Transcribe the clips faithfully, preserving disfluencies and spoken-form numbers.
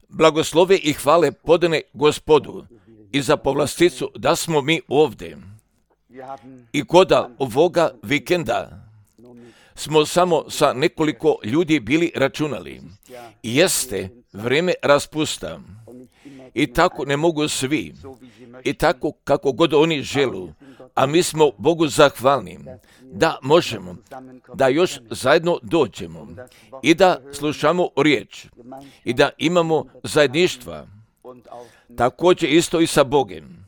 Blagoslove i hvale podane Gospodu i za povlasticu da smo mi ovdje. I koda ovoga vikenda smo samo sa nekoliko ljudi bili računali. Jeste vrijeme raspusta. I tako ne mogu svi. I tako kako god oni želu. A mi smo Bogu zahvalni da možemo, da još zajedno dođemo i da slušamo riječ i da imamo zajedništva. Također isto i sa Bogom.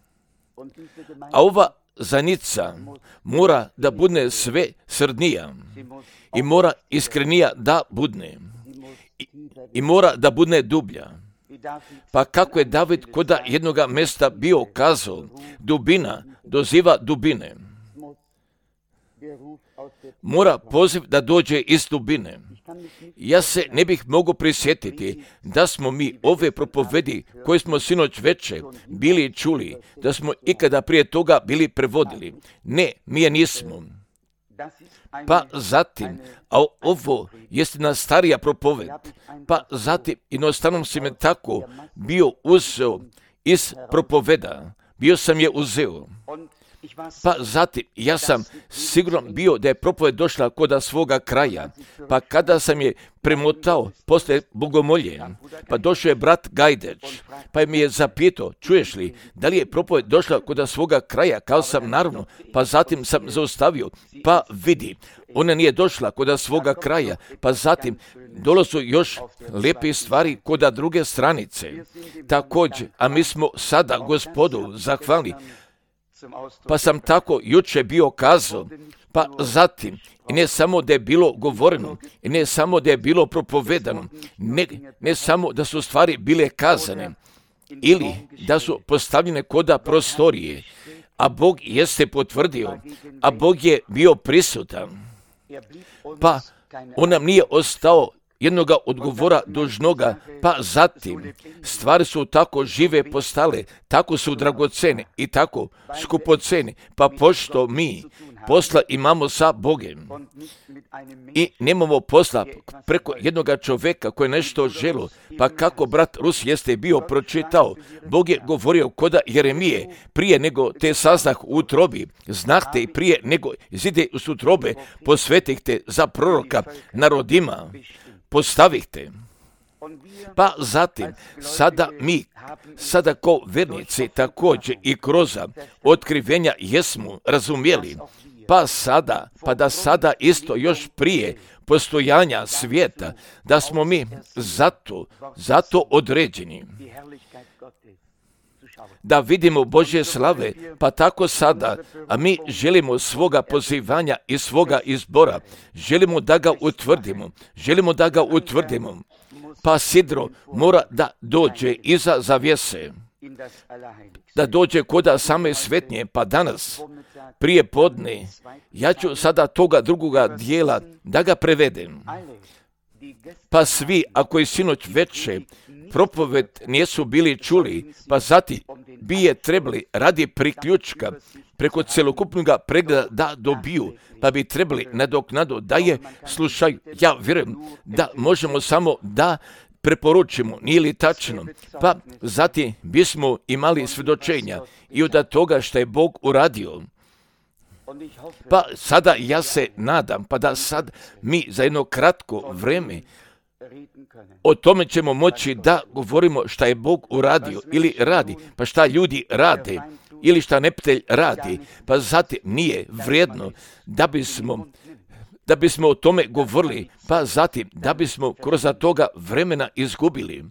A ova zajednica mora da bude sve srdnija i mora iskrenija da budne i, i mora da bude dublja. Pa kako je David koda jednoga mjesta bio kazao, dubina doziva dubine. Mora poziv da dođe iz dubine. Ja se ne bih mogao prisjetiti da smo mi ove propovedi koje smo sinoć veče bili čuli, da smo ikada prije toga bili prevodili. Ne, mi je nismo. Pa zatim, a ovo jest jedna starija propoved, pa zatim jednostavno si me tako bio uzeo iz propoveda, bio sam je uzeo. Pa zatim, ja sam sigurno bio da je propoved došla koda svoga kraja, pa kada sam je premotao posle bogomolje, pa došao je brat Gajdeć, pa mi je zapitao, čuješ li, da li je propoved došla koda svoga kraja, kao sam naravno, pa zatim sam zaustavio, pa vidi, ona nije došla koda svoga kraja, pa zatim dolazu još lijepe stvari koda druge stranice. Također, a mi smo sada Gospodu zahvalni, pa sam tako juče bio kazao, pa zatim, i ne samo da je bilo govoreno, i ne samo da je bilo propovedano, ne, ne samo da su stvari bile kazane, ili da su postavljene koda prostorije, a Bog jeste potvrdio, a Bog je bio prisutan, pa on nam nije ostao jednoga odgovora dužnoga, pa zatim stvari su tako žive postale, tako su dragocene i tako skupocene, pa pošto mi posla imamo sa Bogom i nemamo posla preko jednoga čovjeka koji je nešto želo, pa kako brat Rus jeste bio pročitao, Bog je govorio koda Jeremije, prije nego te saznah u utrobi, znahte i prije nego izide u utrobe, posvetihte za proroka narodima, postavihte. Pa zatim, sada mi, sada ko vernici također i kroz otkrivenja jesmo razumjeli, pa sada, pa da sada isto još prije postojanja svijeta, da smo mi zato, zato određeni. Da vidimo Božje slave, pa tako sada, a mi želimo svoga pozivanja i svoga izbora, želimo da ga utvrdimo, želimo da ga utvrdimo, pa sidro mora da dođe iza zavjese, da dođe koda same svetnje, pa danas, prije podne, ja ću sada toga drugoga dijela da ga prevedem. Pa svi, ako je sinoć veče, propoved nisu bili čuli, pa zatim bi je trebali radi priključka preko celokupnog pregleda da dobiju, pa bi trebali nadoknadu da je slušaju. Ja vjerujem da možemo samo da preporučimo, nije li tačno, pa zatim bismo imali svjedočenja i od toga što je Bog uradio. Pa sada ja se nadam, pa da sad mi za jedno kratko vrijeme o tome ćemo moći da govorimo šta je Bog uradio ili radi, pa šta ljudi rade ili šta neptelj radi, pa zatim nije vrijedno da bismo, da bismo o tome govorili, pa zatim da bismo kroz toga vremena izgubili.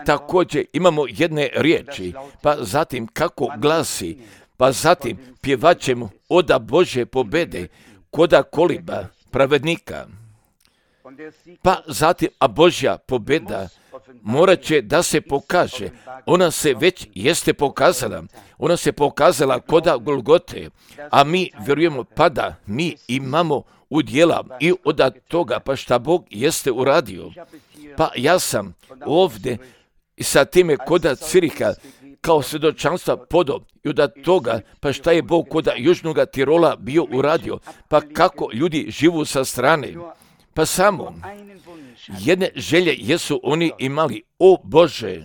Također imamo jedne riječi, pa zatim kako glasi, pa zatim pjevat ćemo oda Božje pobede koda koliba pravednika. Pa zatim, a Božja pobjeda morat će da se pokaže. Ona se već jeste pokazala. Ona se pokazala koda Golgote, a mi vjerujemo pa da mi imamo udjela i od toga, pa šta Bog jeste uradio. Pa ja sam ovdje sa time koda Ciriha kao svjedočanstva podo i od toga, pa šta je Bog koda Južnog Tirola bio uradio, pa kako ljudi živu sa strane. Pa samo jedne želje jesu oni imali. O Bože,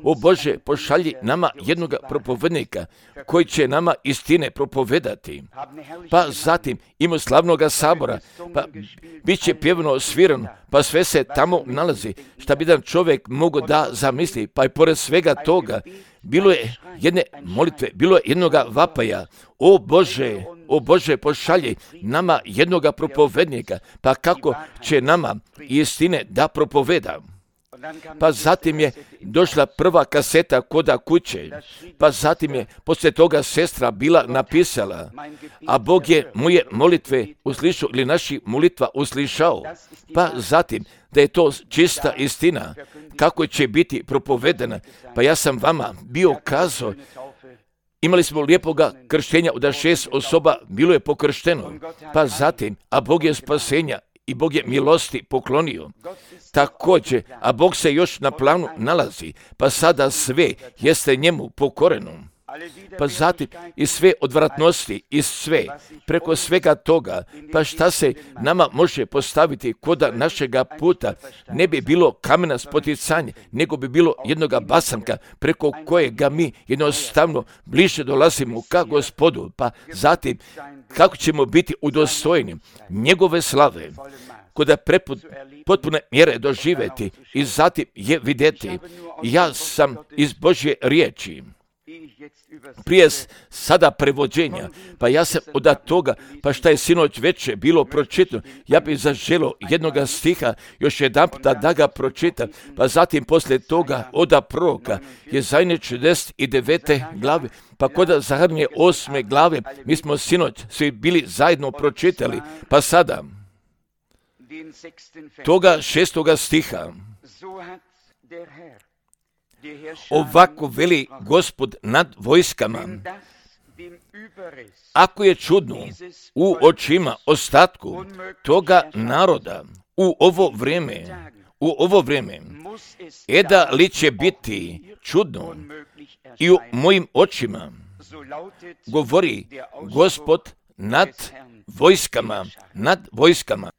o Bože, pošalji nama jednoga propovednika koji će nama istine propovedati. Pa zatim ima slavnoga sabora, pa bit će pjevno svirano, pa sve se tamo nalazi. Šta bi jedan čovjek mogao da zamisli, pa i pored svega toga, bilo je jedne molitve, bilo je jednoga vapaja. O Bože, o Bože, pošalji nama jednoga propovednika, pa kako će nama istine da propoveda. Pa zatim je došla prva kaseta koda kuće, pa zatim je poslije toga sestra bila napisala, a Bog je moje molitve uslišao ili naši molitva uslišao. Pa zatim da je to čista istina, kako će biti propovedena. Pa ja sam vama bio kazao, imali smo lijepoga krštenja da šest osoba bilo je pokršteno, pa zatim, a Bog je spasenja i Bog je milosti poklonio. Također, a Bog se još na planu nalazi, pa sada sve jeste njemu pokoreno. Pa zatim i sve odvratnosti i sve, preko svega toga, pa šta se nama može postaviti koda našega puta, ne bi bilo kamena spoticanja, nego bi bilo jednoga basanka preko kojega mi jednostavno bliže dolazimo ka Gospodu, pa zatim kako ćemo biti udostojeni njegove slave, koda preput, potpune mjere doživjeti i zatim je vidjeti. Ja sam iz Božje riječi. Prije sada prevođenja, pa ja sam od toga, pa šta je sinoć veče bilo pročitano, ja bih zaželio jednoga stiha još jedan puta da ga pročitam, pa zatim poslije toga oda proroka Jezaje četrdeset devete glave, pa kod Zaharije osme glave, mi smo sinoć svi bili zajedno pročitali, pa sada toga šestoga stiha. Ovako veli Gospod nad vojskama, ako je čudno u očima ostatku toga naroda u ovo vrijeme, u ovo vrijeme, eda li će biti čudno i u mojim očima, govori Gospod nad vojskama, nad vojskama.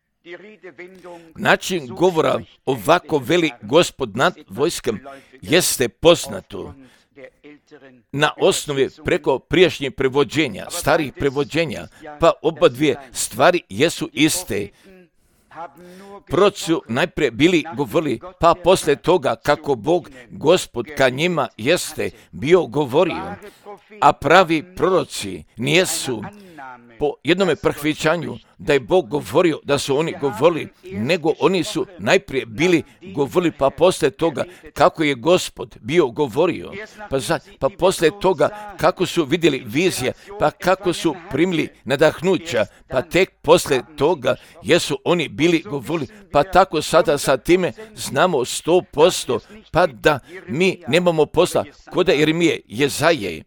Način govora ovako veli Gospod nad vojskom jeste poznato na osnovi preko prijašnjih prevođenja, starih prevođenja, pa oba dvije stvari jesu iste. Proroci su najprije bili govorili, pa poslije toga kako Bog, Gospod ka njima jeste bio govorio, a pravi proroci nijesu po jednome prihvaćanju da je Bog govorio, da su oni govorili, nego oni su najprije bili govorili, pa poslije toga kako je Gospod bio govorio, pa, za, pa poslije toga kako su vidjeli vizije, pa kako su primili nadahnuća, pa tek poslije toga jesu oni bili govorili, pa tako sada sa time znamo sto posto, pa da mi nemamo posla koda Jeremije, Jezaje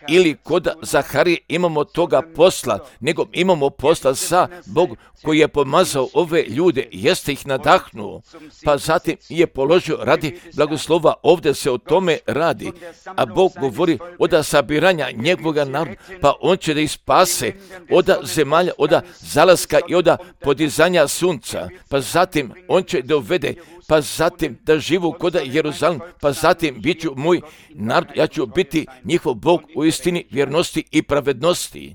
ili koda Zaharije imamo toga posla, nego imamo posla sa Bog koji je pomazao ove ljude, jeste ih nadahnuo, pa zatim je položio radi blagoslova, ovdje se o tome radi, a Bog govori od sabiranja njegovoga naroda, pa on će da ih spase od zemalja, od zalaska i od podizanja sunca, pa zatim on će da uvede, pa zatim da živu koda Jeruzalem, pa zatim bit ću moj narod, ja ću biti njihov Bog u istini, vjernosti i pravednosti.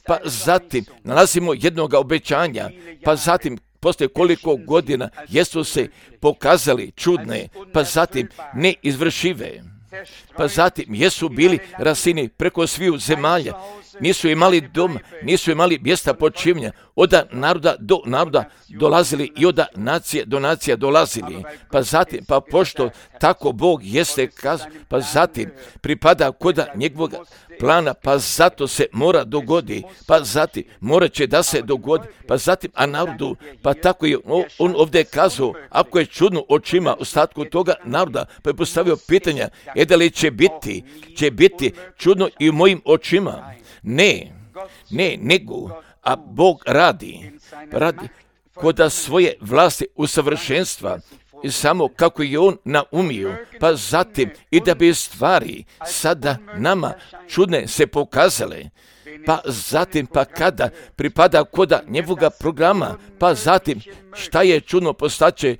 Pa zatim nalazimo jednoga obećanja, pa zatim poslije koliko godina jesu se pokazali čudne, pa zatim neizvršive, pa zatim jesu bili rasini preko sviju zemalja, nisu imali dom, nisu imali mjesta počivnja, od naroda do naroda dolazili i od nacije do nacija dolazili, pa zatim, pa pošto tako Bog jeste kazao, pa zatim pripada kod njegovog plana, pa zato se mora dogodi, pa zatim morat će da se dogodi, pa zatim, a narodu, pa tako je on ovdje kazao, ako je čudno očima ostatku toga naroda, pa je postavio pitanja, e da li će biti, će biti čudno i u mojim očima? Ne, ne, nego, a Bog radi, radi koda svoje vlasti usavršenstva, i samo kako je on naumio, pa zatim i da bi stvari sada nama čudne se pokazale, pa zatim pa kada pripada koda njegovoga programa, pa zatim šta je čudno postaće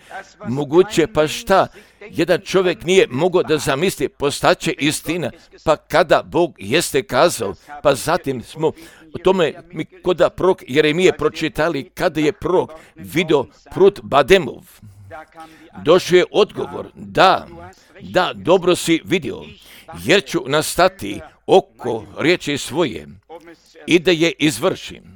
moguće, pa šta jedan čovjek nije mogao da zamisli postaće istina, pa kada Bog jeste kazao, pa zatim smo o tome mi koda prorok Jeremije pročitali, kada je prorok vidio prut Bademov. Došao je odgovor, da, da, dobro si vidio, jer ću nastati oko riječi svoje i da je izvršim.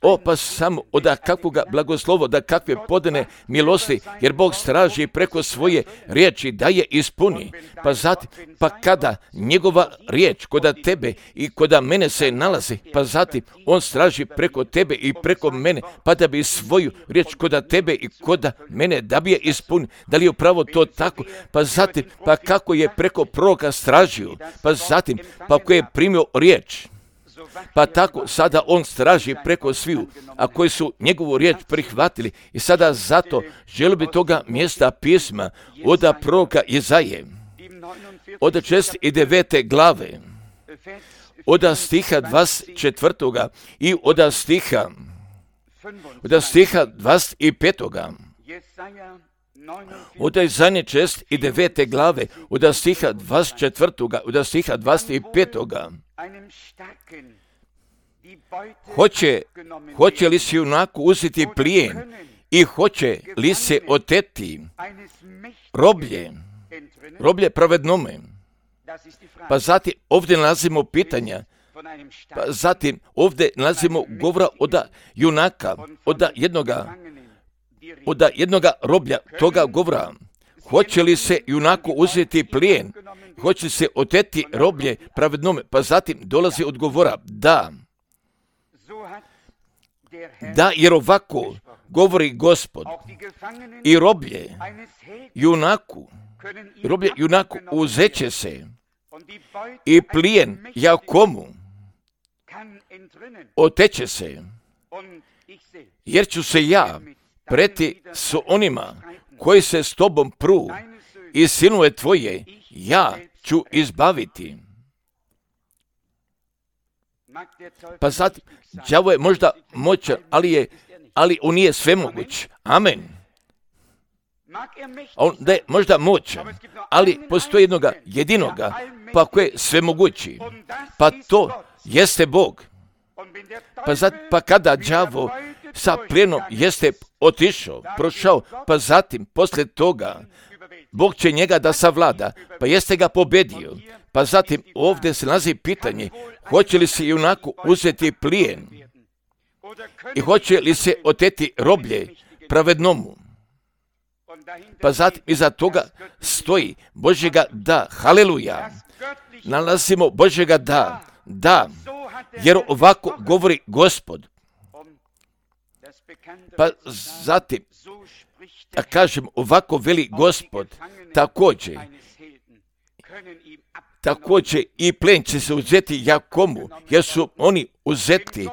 O, pa samo od kakvoga blagoslovo, da kakve podane milosti, jer Bog straži preko svoje riječi da je ispuni. Pa zatim, pa kada njegova riječ koda tebe i koda mene se nalazi, pa zatim on straži preko tebe i preko mene, pa da bi svoju riječ koda tebe i koda mene da bi je ispuni. Da li je upravo to tako? Pa zatim, pa kako je preko proroka stražio, pa zatim, pa ko je primio riječ, pa tako sada on straži preko sviju, a koji su njegovu riječ prihvatili. I sada zato želio bi toga mjesta pisma od proroka Izaje, od šesnaeste i devete glave, od stiha dvadeset četvrtoga i od stiha, od stiha dvadeset petoga. Od Izaje šesnaeste i devete glave, od stiha dvadeset četvrtoga, od stiha dvadeset petoga. Hoće, hoće li se junako uzeti plijen i hoće li se oteti roblje, roblje pravednome? Pa zatim ovdje nalazimo pitanja, pa zatim ovdje nalazimo govora od junaka, od jednoga, od jednoga roblja, toga govora. Hoće li se junako uzeti plijen, hoće se oteti roblje pravednome? Pa zatim dolazi odgovora, da. Da, jer ovako govori Gospod, i roblje junaku, roblje junaku uzeće se i plijen Jakomu oteće se, jer ću se ja preti s onima koji se s tobom pru i sinove tvoje ja ću izbaviti. Pa sad, đavo je možda moćan, ali, je, ali on nije svemoguć. Amen. On da je možda moćan, ali postoji jednoga jedinoga, pa koji je svemogući. Pa to jeste Bog. Pa, zat, pa kada đavo sa plijenom jeste otišao, prošao, pa zatim, poslije toga, Bog će njega da savlada, pa jeste ga pobedio. Pa zatim ovdje se nalazi pitanje, hoće li se junako uzeti plijen i hoće li se oteti roblje pravednomu? Pa zatim iza toga stoji Božjega da, haleluja, nalazimo Božjega da, da, jer ovako govori Gospod. Pa zatim, da kažem, ovako veli Gospod, također, također i plen će se uzeti Jakomu, jer su oni uzeti,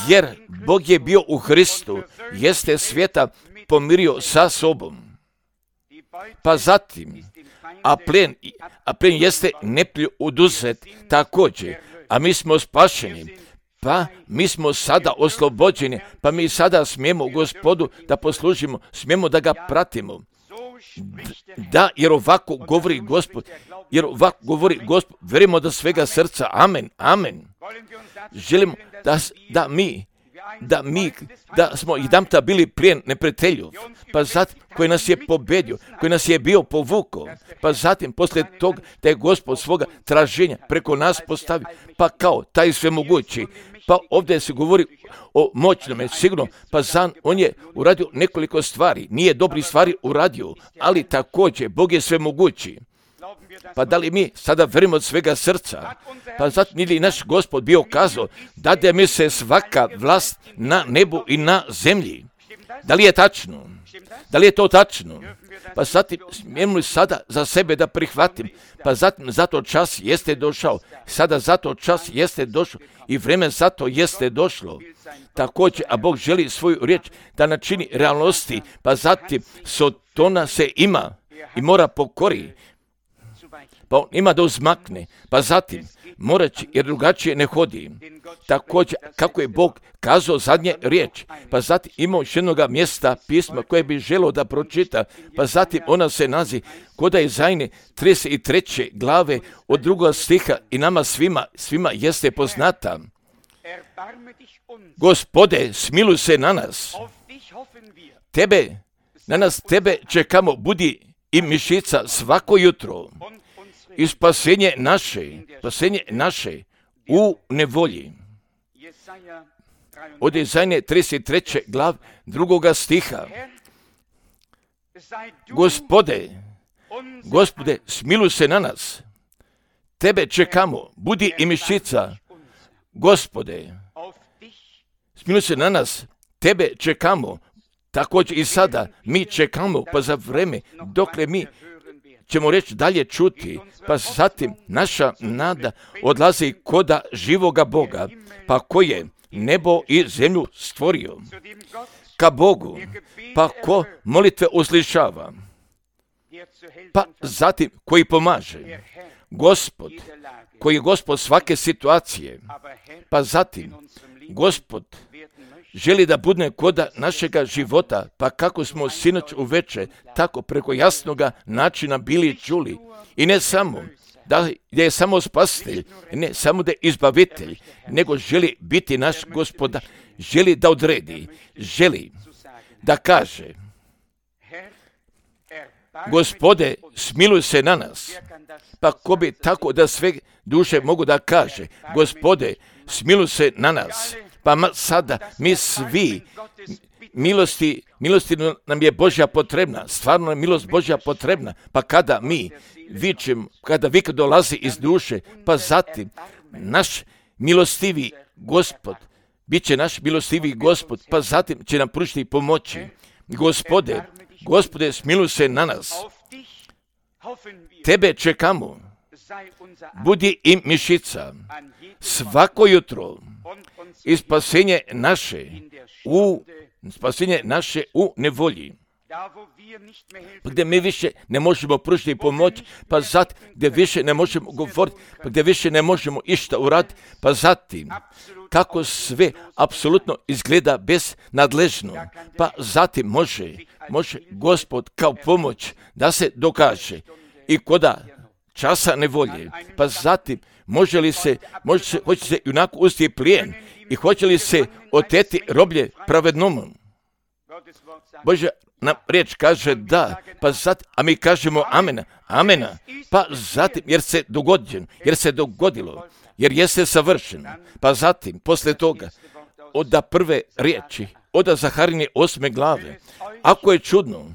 jer Bog je bio u Hristu, jeste svijeta pomirio sa sobom. Pa zatim, a plen, a plen jeste neplju oduzet također, a mi smo spašeni, pa mi smo sada oslobođeni, pa mi sada smijemo Gospodu da poslužimo, smijemo da ga pratimo. Da, jer ovako govori Gospod, jer ovako govori Gospod, verimo da svega srca, amen, amen. Želimo da, da mi, da mi, da smo jedanputa bili plijen neprijatelju, pa zatim koji nas je pobedio, koji nas je bio povukao, pa zatim poslije toga da je Gospod svoga traženja preko nas postavi, pa kao taj svemogući, pa ovdje se govori o moćnome, sigurno, pa zan, on je uradio nekoliko stvari, nije dobri stvari uradio, ali također Bog je svemogući. Pa da li mi sada verimo od svega srca? Pa zato nije li naš Gospod bio kazao, dade mi se svaka vlast na nebu i na zemlji. Da li je tačno? Da li je to tačno? Pa zatim smijemo li sada za sebe da prihvatim? Pa zatim zato čas jeste došao. Sada zato čas jeste došao i vreme zato jeste došlo. Također, a Bog želi svoju riječ da načini realnosti, pa zatim Sotona se ima i mora pokori. pa on ima da uzmakne, pa zatim morat će, jer drugačije ne hodi. Također, kako je Bog kazao zadnje riječ, pa zatim ima još jednoga mjesta pisma koje bi želio da pročita, pa zatim ona se nazi kod Izajne trideset treće glave od drugog stiha i nama svima, svima jeste poznata. Gospode, smiluj se na nas. Tebe, na nas tebe čekamo, budi i mišica svako jutro. I spasenje naše, spasenje naše u nevolji. Od Izajne trideset treće glav drugoga stiha. Gospode, Gospode, smiluj se na nas. Tebe čekamo, budi i mišica. Gospode, smiluj se na nas. Tebe čekamo. Također i sada mi čekamo, pa za vreme dokle mi ćemo reći dalje čuti, pa zatim naša nada odlazi koda živoga Boga, pa ko je nebo i zemlju stvorio, ka Bogu, pa ko molitve uslišava, pa zatim koji pomaže, Gospod, koji je Gospod svake situacije, pa zatim Gospod želi da bude koda našega života, pa kako smo sinoć uveče tako preko jasnoga načina bili čuli. I ne samo da je samo spasitelj, ne samo da je izbavitelj, nego želi biti naš Gospodar, želi da odredi, želi da kaže, Gospode, smiluj se na nas. Pa ko bi tako da sve duše mogu da kaže, Gospode, smiluj se na nas. Pa sada mi svi, milosti, milosti nam je Božja potrebna, stvarno je milost Božja potrebna, pa kada mi vičemo, kada vik dolazi iz duše, pa zatim naš milostivi Gospod, bit će naš milostivi Gospod, pa zatim će nam pružiti pomoći. Gospode, Gospode, smiluj se na nas. Tebe čekamo, budi im mišica, svako jutro, i spasenje naše u spasenje naše u nevolji. Pa gdje mi više ne možemo pružiti pomoć, pa zatim gdje više ne možemo govoriti, pa gdje više ne možemo išta uraditi, pa zatim kako sve apsolutno izgleda beznadležno, pa zatim može, može Gospod kao pomoć da se dokaže i koda časa nevolje, pa zatim može li se, može se, hoće se junako usti plijen i hoće li se oteti roblje pravednomu. Božja nam riječ kaže da, pa zatim, a mi kažemo amena, amena, pa zatim, jer se dogodilo, jer se dogodilo, jer jeste savršen, pa zatim, posle toga, od prve riječi, od Zaharine osme glave, ako je čudno,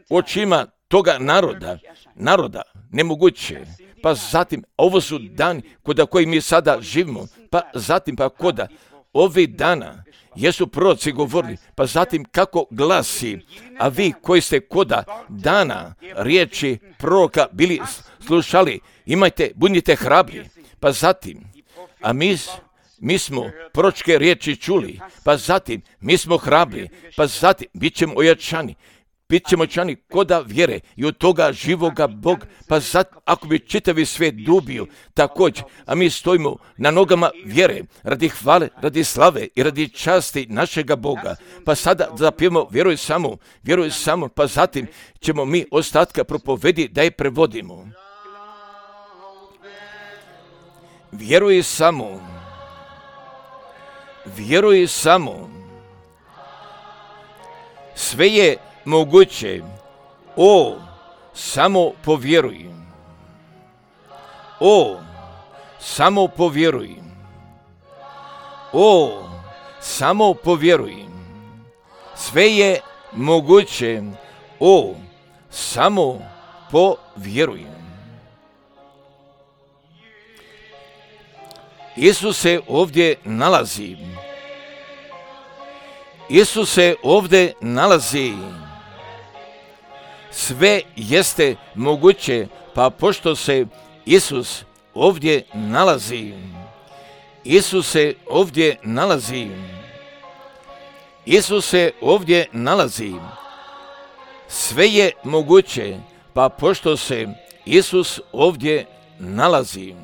očima toga naroda, naroda, nemoguće, pa zatim, ovo su dani koda koji mi sada živimo, pa zatim, pa koda ovih dana jesu proroci govorili, pa zatim kako glasi, a vi koji ste koda dana riječi proroka bili slušali, imajte, budite hrabri, pa zatim, a mi, mi smo proročke riječi čuli, pa zatim, mi smo hrabri, pa zatim, bit ćemo ojačani, bit ćemo ojačani koda vjere i od toga živoga Bog, pa zatim, ako bi čitavi svijet dubio, također, a mi stojimo na nogama vjere, radi hvale, radi slave i radi časti našega Boga, pa sada zapijemo, vjeruj samo, vjeruj samo, pa zatim ćemo mi ostatka propovedi da je prevodimo. Vjeruj samo, vjeruj samo, sve je moguće, o, samo povjeruj, o, samo povjeruj, o, samo povjeruj, sve je moguće, o, samo povjeruj. Isus se ovdje nalazi, Isus se ovdje nalazi, sve jeste moguće, pa pošto se Isus ovdje nalazi, Isus se ovdje nalazi, Isus se ovdje nalazi, sve je moguće, pa pošto se Isus ovdje nalazi.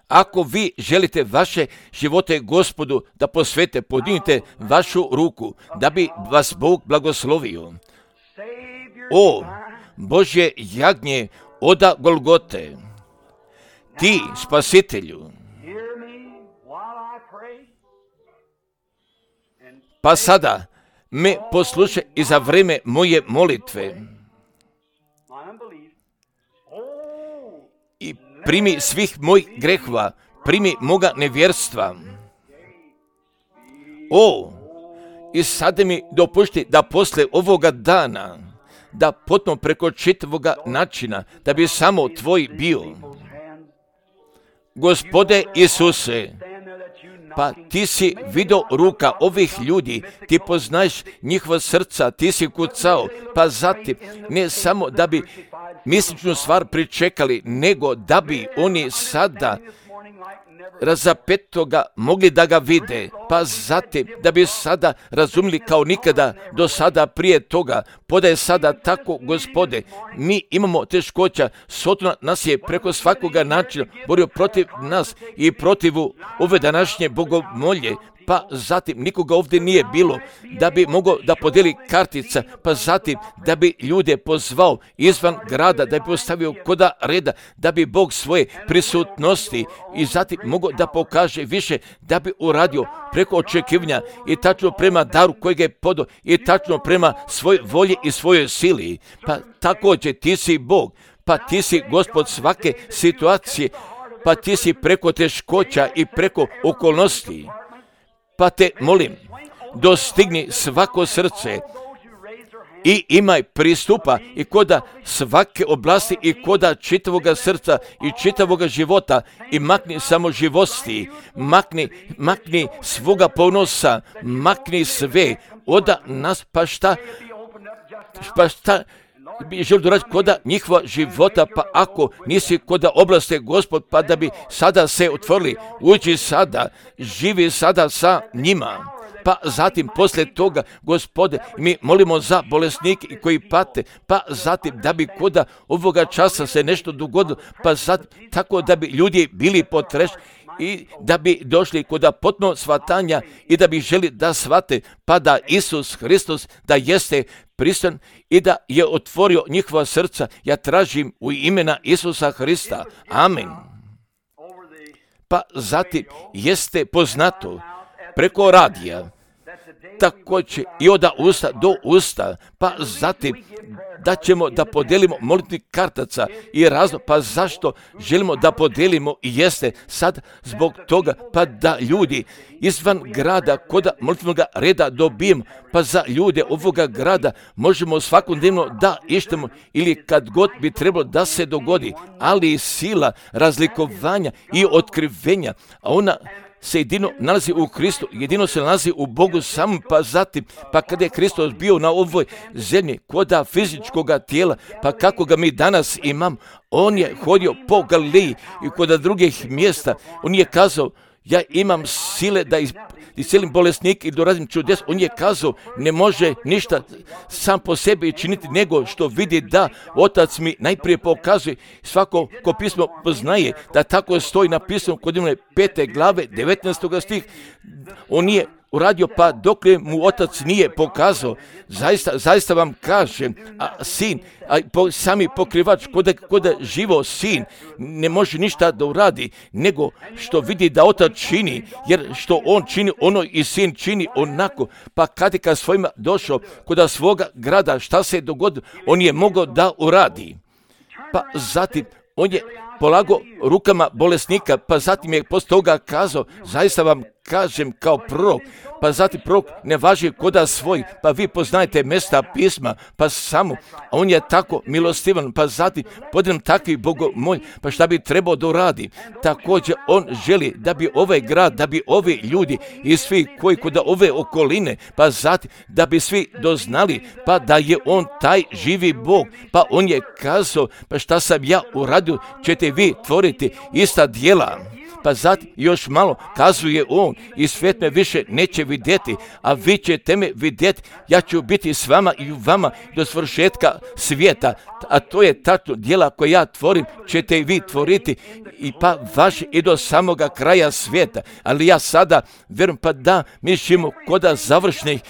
Ako vi želite vaše živote Gospodu da posvete, podignite vašu ruku, da bi vas Bog blagoslovio. O, Božje jagnje oda Golgote, ti, spasitelju, pa sada me poslušaj i za vreme moje molitve i primi svih mojih grehova, primi moga nevjerstva. O, i sada mi dopušti da posle ovoga dana, da potom preko čitavoga načina, da bi samo tvoj bio. Gospode Isuse, pa ti si vidio ruka ovih ljudi, ti poznaješ njihova srca, ti si kucao, pa zatim ne samo da bi misličnu stvar pričekali, nego da bi oni sada razapetoga mogli da ga vide, pa zatim da bi sada razumili kao nikada do sada prije toga. Podaje sada tako, Gospode, mi imamo teškoća, Sotona nas je preko svakoga načina borio protiv nas i protiv ove današnje bogomolje, pa zatim nikoga ovdje nije bilo da bi mogao da podijeli kartica, pa zatim da bi ljude pozvao izvan grada, da bi postavio koda reda, da bi Bog svoje prisutnosti i zatim mogao da pokaže više, da bi uradio preko očekivanja i tačno prema daru kojeg je podao i tačno prema svoj volji i svojoj sili. Pa također ti si Bog, pa ti si Gospod svake situacije, pa ti si preko teškoća i preko okolnosti. Pa te molim, dostigni svako srce i imaj pristupa i koda svake oblasti i koda čitavoga srca i čitavoga života i makni samo živosti, makni, makni svoga ponosa, makni sve, oda nas pa šta, pa šta bi želi doraditi koda njihova života, pa ako nisi koda oblasti Gospod, pa da bi sada se otvorili, uđi sada, živi sada sa njima. Pa zatim poslije toga, Gospode, mi molimo za bolesnike koji pate, pa zatim da bi koda ovoga časa se nešto dogodilo, pa zatim tako da bi ljudi bili potrešeni i da bi došli kod potpuno shvatanja i da bi želi da shvate, pa da Isus Hristos da jeste prisutan i da je otvorio njihova srca. Ja tražim u imena Isusa Hrista. Amen. Pa zatim jeste poznato preko radija, također i od usta do usta, pa zatim da ćemo da podijelimo molitvnih kartaca i razlog, pa zašto želimo da podijelimo i jeste sad zbog toga, pa da ljudi izvan grada kod molitvenog reda dobijemo, pa za ljude ovoga grada možemo svakodnevno da ištemo ili kad god bi trebalo da se dogodi, ali sila razlikovanja i otkrivenja, a ona se jedino nalazi u Kristu, jedino se nalazi u Bogu samom, pa zatim, pa kada je Hristos bio na ovoj zemlji, koda fizičkoga tijela, pa kako ga mi danas imam, on je hodio po Galileji i kod drugih mjesta, on je kazao, ja imam sile da iscelim bolesnik i doradim čudes. On je kazao, ne može ništa sam po sebi činiti, nego što vidi da Otac mi najprije pokazuje. Svako ko pismo poznaje da tako stoji napisano kod imene pete glave devetnaestog stih. On nije uradio, pa dok mu Otac nije pokazao. Zaista, zaista vam kažem, a sin, a po, sami pokrivač, kod, kod živo sin, ne može ništa da uradi, nego što vidi da Otac čini, jer što on čini, ono i sin čini onako. Pa kad je kad svojima došao kod svoga grada, šta se je dogodilo, on je mogao da uradi. Pa zatim, on je polago rukama bolesnika, pa zatim je poslije toga kazao, zaista vam kažem kao prorok, pa zatim prorok ne važi koda svoj, pa vi poznajete mjesta pisma, pa samo, a on je tako milostivan, pa zatim podem takvi bogomolj, pa šta bi trebao da uradi. Također on želi da bi ovaj grad, da bi ovi ljudi i svi koji kod ove okoline, pa zatim da bi svi doznali, pa da je on taj živi Bog, pa on je kazao, pa šta sam ja uradio, ćete vi tvoriti ista djela. Pa pa zatim još malo kazuje on i svijet me više neće vidjeti, a vi ćete me vidjeti, ja ću biti s vama i u vama do svršetka svijeta, a to je tačno djela koje ja tvorim, ćete i vi tvoriti i pa vaši i do samoga kraja svijeta. Ali ja sada vjerujem pa da mi živimo koda završnih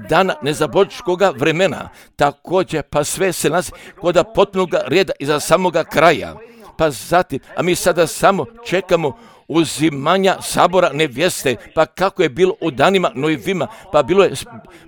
dana nezabočkoga vremena, također pa sve se nas koda potpunoga reda iza samoga kraja. Pa zatim, a mi sada samo čekamo uzimanja sabora nevjeste, pa kako je bilo u danima Nojevima, pa bilo je,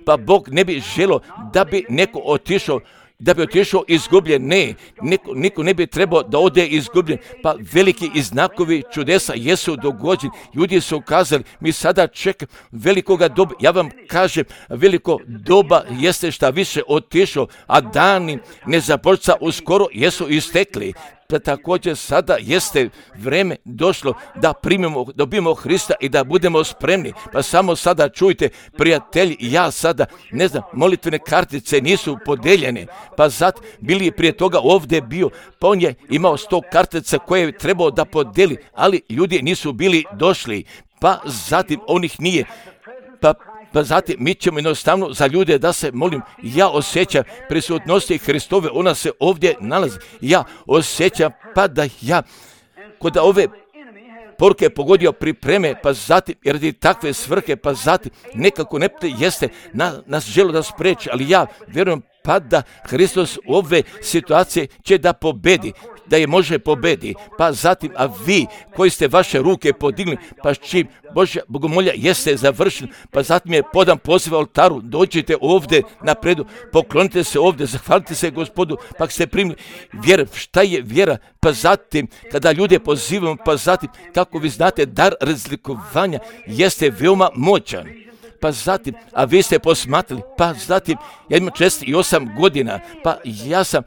pa Bog ne bi želio da bi neko otišao, da bi otišao izgubljen, ne, niko, niko ne bi trebao da ode izgubljen, pa veliki i znakovi čudesa jesu dogođeni, ljudi su ukazali, mi sada čekamo velikoga doba, ja vam kažem, veliko doba jeste šta više otišao, a dani nezabočca uskoro jesu istekli. Pa također sada jeste vreme došlo da primimo, dobijemo Hrista i da budemo spremni. Pa samo sada čujte, prijatelji, ja sada, ne znam, molitvene kartice nisu podeljene. Pa zato bili prije toga ovdje bio, pa on je imao sto kartica koje je trebao da podeli, ali ljudi nisu bili došli. Pa zatim on ih nije. Pa Pa zatim mi ćemo jednostavno za ljude da se molim, ja osjećam prisutnosti Hristove, ona se ovdje nalazi. Ja osjećam pa da ja kod ove poruke pogodio pripreme, pa zatim radi takve svrhe, pa zatim nekako ne jeste na, nas želo da spreči, ali ja vjerujem pa da Hristos u ove situacije će da pobedi, da je može pobedi. Pa zatim, a vi koji ste vaše ruke podigli, pa čim Božja bogomolja jeste završen, pa zatim je podan poziv oltaru, dođite ovdje napredu, poklonite se ovdje, zahvalite se Gospodu, pa ste primili vjera. Šta je vjera? Pa zatim, kada ljude pozivamo, pa zatim, kako vi znate, dar razlikovanja jeste veoma moćan. Pa zatim, a vi ste posmatrali, pa zatim, ja imam četrdeset osam godina, pa ja sam,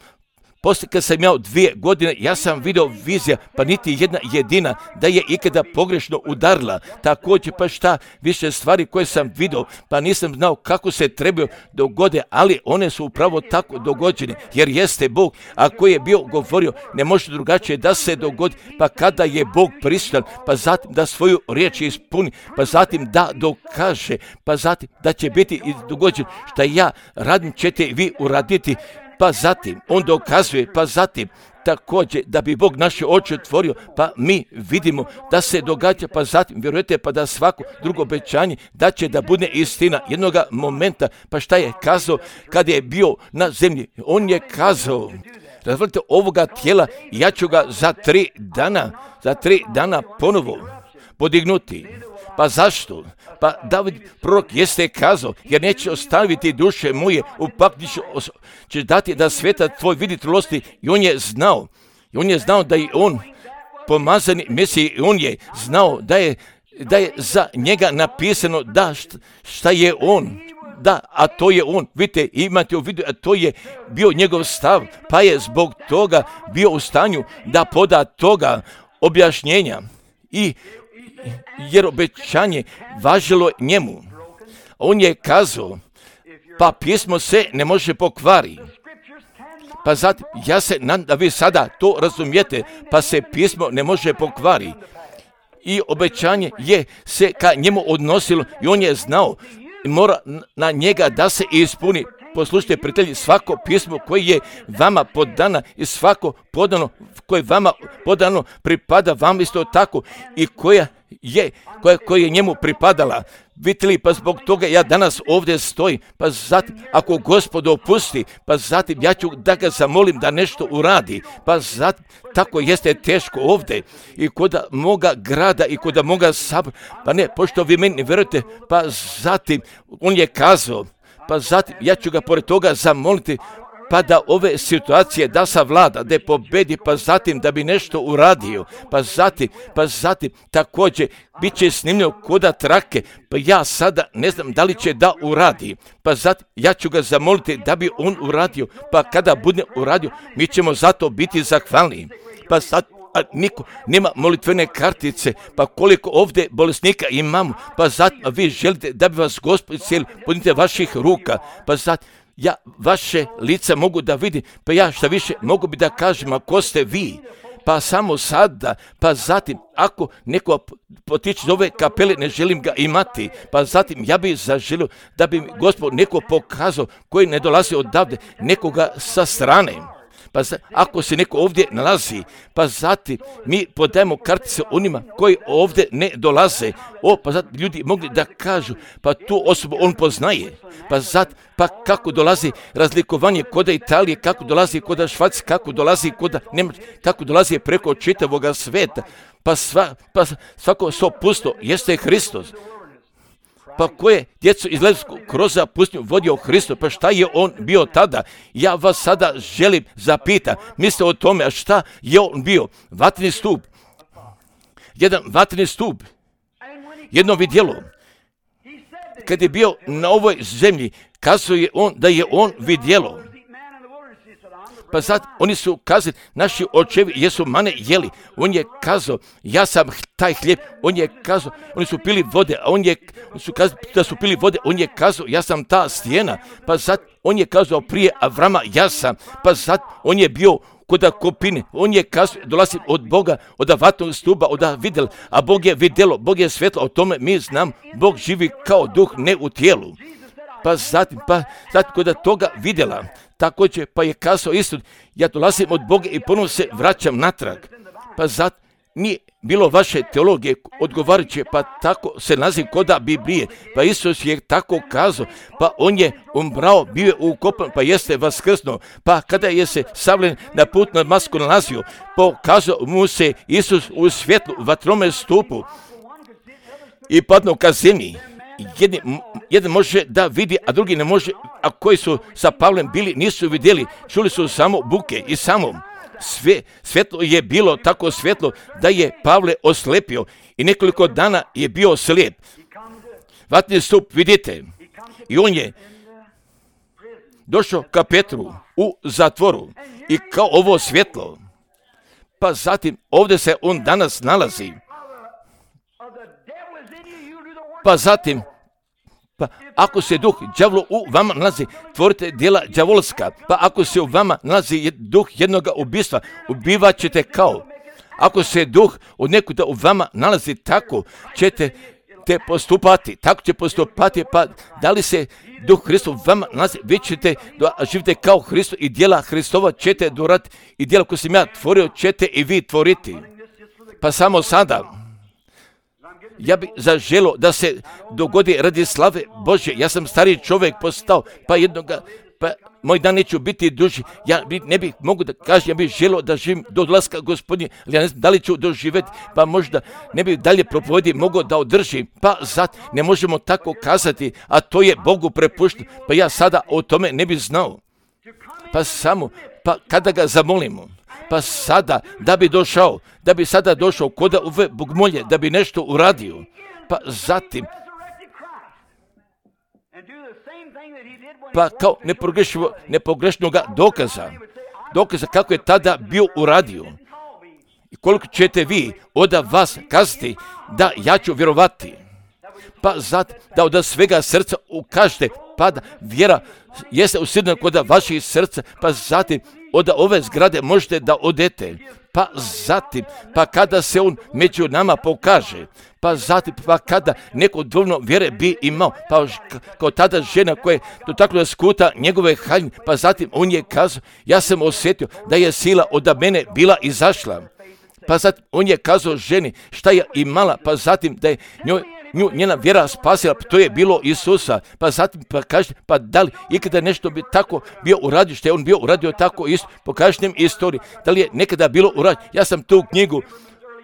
poslije kad sam imao dvije godine, ja sam vidio vizija, pa niti jedna jedina da je ikada pogrešno udarila. Također, pa šta, više stvari koje sam vidio, pa nisam znao kako se trebaju dogode, ali one su upravo tako dogođene, jer jeste Bog, a koji je bio govorio, ne može drugačije da se dogodi, pa kada je Bog prisutan, pa zatim da svoju riječ ispuni, pa zatim da dokaže, pa zatim da će biti i dogođen, šta ja radim ćete vi uraditi. Pa zatim, on dokazuje, pa zatim, također, da bi Bog naše oči otvorio, pa mi vidimo da se događa, pa zatim, vjerujete, pa da svako drugo obećanje da će da bude istina jednoga momenta, pa šta je kazao kad je bio na zemlji? On je kazao, razvolite ovoga tijela, ja ću ga za tri dana, za tri dana ponovo podignuti. Pa zašto? Pa David prorok jeste kazao, jer neće ostaviti duše moje, upak ćeš dati da sveta tvoj vidi trulosti. I on je znao, i on je znao da je on pomazani Mesij, i on je znao da je, da je za njega napisano da šta, šta je on. Da, a to je on, vidite, imate u vidu, a to je bio njegov stav, pa je zbog toga bio u stanju da poda toga objašnjenja. I jer obećanje važilo njemu. On je kazao, pa pismo se ne može pokvari. Pa zatim, ja se nadam da vi sada to razumijete, pa se pismo ne može pokvari. I obećanje je se ka njemu odnosilo i on je znao, mora na njega da se ispuni. Poslušajte, prijatelji, svako pismo koje je vama podano i svako podano, koje vama podano pripada vam isto tako i koja je, koja, koja je njemu pripadala. Vidite li, pa zbog toga ja danas ovdje stojim, pa zatim, ako Gospod opusti, pa zatim ja ću da ga zamolim da nešto uradi, pa zatim, tako jeste teško ovdje i kod moga grada i kod moga sabora, pa ne, pošto vi meni ne vjerujete, pa zatim, on je kazao, pa zatim, ja ću ga pored toga zamoliti, pa da ove situacije da savlada, da je pobedi, pa zatim da bi nešto uradio, pa zatim, pa zatim također bit će snimljeno koda trake, pa ja sada ne znam da li će da uradi, pa zatim ja ću ga zamoliti da bi on uradio, pa kada bude uradio, mi ćemo zato biti zahvalni, pa sad a niko nema molitvene kartice, pa koliko ovdje bolesnika imamo, pa zatim vi želite da bi vas Gospod iscijelio, podnite vaših ruka, pa zatim ja vaše lice mogu da vidim, pa ja šta više mogu bi da kažem, ako ste vi, pa samo sada, pa zatim, ako neko potiče iz ove kapele, ne želim ga imati, pa zatim ja bih zaželio da bi Gospod neko pokazao koji ne dolazi odavde, nekoga sa strane. Pa za, ako se neko ovdje nalazi, pa zatim mi podajemo kartice onima koji ovdje ne dolaze. O, pa zatim ljudi mogli da kažu, pa tu osobu on poznaje. Pa zatim, pa kako dolazi razlikovanje koda Italije, kako dolazi koda Švajcarske, kako dolazi koda Njemačke, kako dolazi preko čitavoga sveta. Pa, sva, pa svako so pusto jeste Hristos. Pa ko je djecu iz Ledskog kroza pustinju vodio Hristos, pa šta je on bio tada? Ja vas sada želim zapita, mislite o tome, a šta je on bio? Vatreni stup, jedan vatreni stup, jedno vidjelo. Kad je bio na ovoj zemlji, kazao je on da je on vidjelo. Pa sad oni su kazali, naši očevi jesu mane jeli. On je kazao, ja sam taj hljeb. On je kazao, oni su pili vode, a on je, oni su kazali da su pili vode. On je kazao, ja sam ta stijena. Pa sad on je kazao prije Avrama, ja sam. Pa sad on je bio kod kopine. On je kazao, dolazi od Boga, od vatnog stuba, od vidjela. A Bog je vidjelo, Bog je svetlo. O tome mi znam, Bog živi kao duh, ne u tijelu. Pa zatim, pa zatim kod toga vidjela. Također, pa je kazao isto, ja dolazim od Boga i ponovno se vraćam natrag. Pa zato nije bilo vaše teologije odgovarajuće, pa tako se naziv koda Biblije. Pa Isus je tako kazao, pa on je umrao, bio je ukopan, pa jeste vaskrsnuo. Pa kada je se Savlen na put na Damasku nalazio, pokazao mu se Isus u svjetlu vatrome stupu i padnuo ka zemlji. Jedan, jedan može da vidi, a drugi ne može, a koji su sa Pavlem bili, nisu vidjeli, čuli su samo buke i samo sve, svjetlo je bilo tako svjetlo da je Pavle oslepio i nekoliko dana je bio slijep. Vatreni stup, vidite, i on je došao ka Petru u zatvoru i kao ovo svjetlo, pa zatim ovdje se on danas nalazi. Pa zatim, pa ako se duh đavlo u vama nalazi, tvorite djela đavolska. Pa ako se u vama nalazi duh jednoga ubistva, ubivat ćete kao. Ako se duh od nekuda u vama nalazi, tako ćete te postupati. Tako će postupati, pa da li se duh Hristov u vama nalazi, vi ćete živite kao Hristo i djela Hristova ćete dorati i djela koje sam ja tvorio ćete i vi tvoriti. Pa samo sada, ja bih zaželio da se dogodi radi slave Božje. Ja sam stariji čovjek postao, pa jednoga, pa moj dan neću biti duži. Ja bi, ne bih mogu da kažem, ja bih želio da živim do dolaska Gospodnje, ali ja ne znam da li ću doživjeti, pa možda ne bih dalje propovjedi mogao da održim. Pa zato ne možemo tako kazati, a to je Bogu prepušteno. Pa ja sada o tome ne bih znao. Pa samo, pa kada ga zamolimo, pa sada da bi došao, da bi sada došao koda ove bogmolje, da bi nešto uradio, pa zatim, pa kao nepogrešnog dokaza, dokaza kako je tada bio uradio. I koliko ćete vi od vas kazati da ja ću vjerovati, pa zato da od svega srca ukažete, pa da vjera jeste usidna kod vaših srca, pa zatim od ove zgrade možete da odete, pa zatim, pa kada se on među nama pokaže, pa zatim, pa kada neko dovoljno vjere bi imao, pa kao tada žena koja je dotaknula skuta njegove haljine, pa zatim on je kazao, ja sam osjetio da je sila od mene bila izašla, pa zatim on je kazao ženi šta je imala, pa zatim da je njoj nju njena vjera spasila, to je bilo Isusa. Pa zatim pa kažete, pa da li ikada nešto bi tako bio uradio, što je on bio uradio tako isto, pokažite nam istoriju, da li je nekada bilo uradio. Ja sam tu knjigu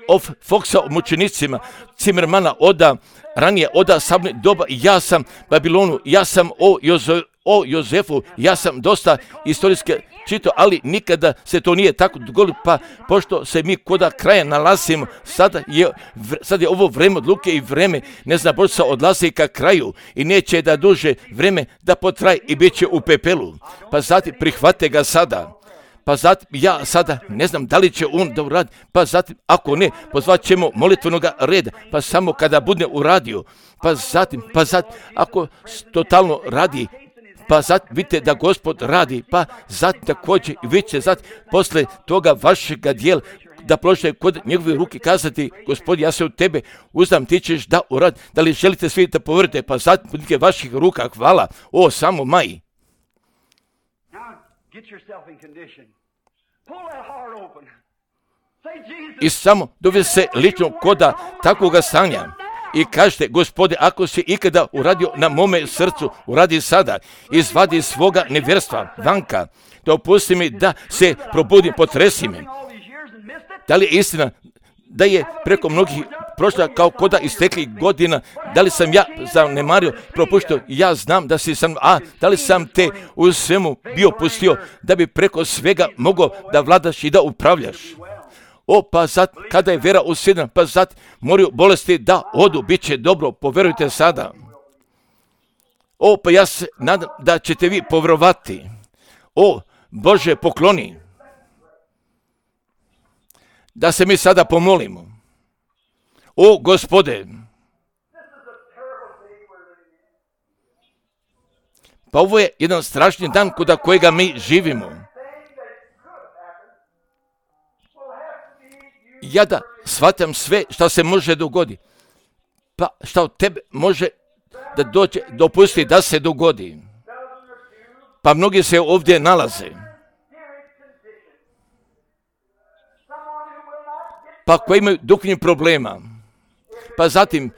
of Foxa o mučenicima, Zimmermana oda, ranije oda Sabne doba, ja sam Babilonu, ja sam o, Jozo, o Jozefu, ja sam dosta istorijske čitao, ali nikada se to nije tako dogodilo, pa pošto se mi koda kraja nalazimo, sada je, sad je ovo vreme odluke i vreme, ne znam, Božica odlazi ka kraju i neće da duže vreme da potraje i bit će u pepelu, pa zatim prihvate ga sada. Pa zatim ja sada ne znam da li će on da uradi, pa zatim ako ne, pozvat ćemo molitvenog reda, pa samo kada bude uradio, pa zatim, pa zatim ako totalno radi, pa zatim vidite da Gospod radi, pa zatim također i vi će zatim posle toga vašega dijela da položite kod njegove ruke kazati, Gospod, ja se u tebe uzdam, ti ćeš da urad, da li želite svi da poverite, pa sad budite vaših ruka, hvala, o, samo maj. I samo dovede se lično koda takvoga stanja i kažete, Gospode, ako si ikada uradio na mome srcu, uradi sada, izvadi svoga nevjerstva vanka, da opusti mi da se probudim, potresi me. Da li je istina da je preko mnogih prošla kao koda isteklih godina, da li sam ja zanemario, propuštio, ja znam da si sam, a da li sam te u svemu bio pustio, da bi preko svega mogao da vladaš i da upravljaš. O, pa sad, kada je vera usjedna, pa sad moraju bolesti da odu, bit će dobro, poverujte sada. O, pa ja se nadam da ćete vi povjerovati. O, Bože, pokloni. Da se mi sada pomolimo. O, Gospode. Pa ovo je jedan strašni dan kod kojega mi živimo. Ja da shvatam sve što se može dogoditi. Pa što od tebe može da dođe, dopusti da se dogodi. Pa mnogi se ovdje nalaze. Pa koji imaju duhovnih problema. Pa zatim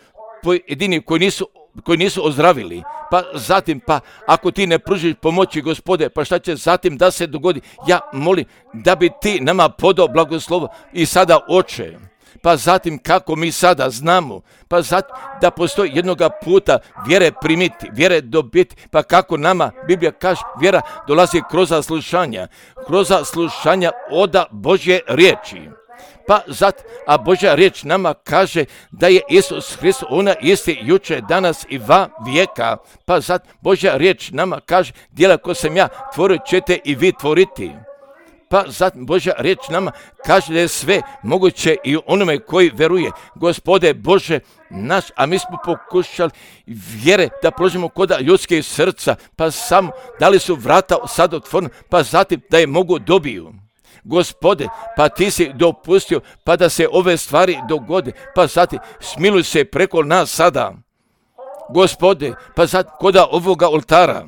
pojedini koji nisu, koji nisu ozdravili. Pa zatim, pa ako ti ne pružiš pomoći, Gospode, pa šta će zatim da se dogodi? Ja molim da bi ti nama podao blagoslovo i sada, Oče. Pa zatim kako mi sada znamo, pa zatim da postoji jednoga puta vjere primiti, vjere dobiti, pa kako nama Biblija kaže, vjera dolazi kroz slušanja, kroz slušanja oda Božje riječi. Pa zato, a Božja riječ nama kaže da je Isus Hrist, ona isti juče, danas i va vijeka. Pa zato Božja riječ nama kaže, djela ko sam ja tvorio ćete i vi tvoriti. Pa zato Božja riječ nama kaže da je sve moguće i onome koji veruje. Gospode Bože naš, a mi smo pokušali vjere da položimo kod ljudskih srca, pa samo da li su vrata sad otvorena, pa zatim da je mogu dobiju. Gospode, pa ti si dopustio pa da se ove stvari dogode, pa zatim smiluj se preko nas sada. Gospode, pa zatim koda ovoga oltara,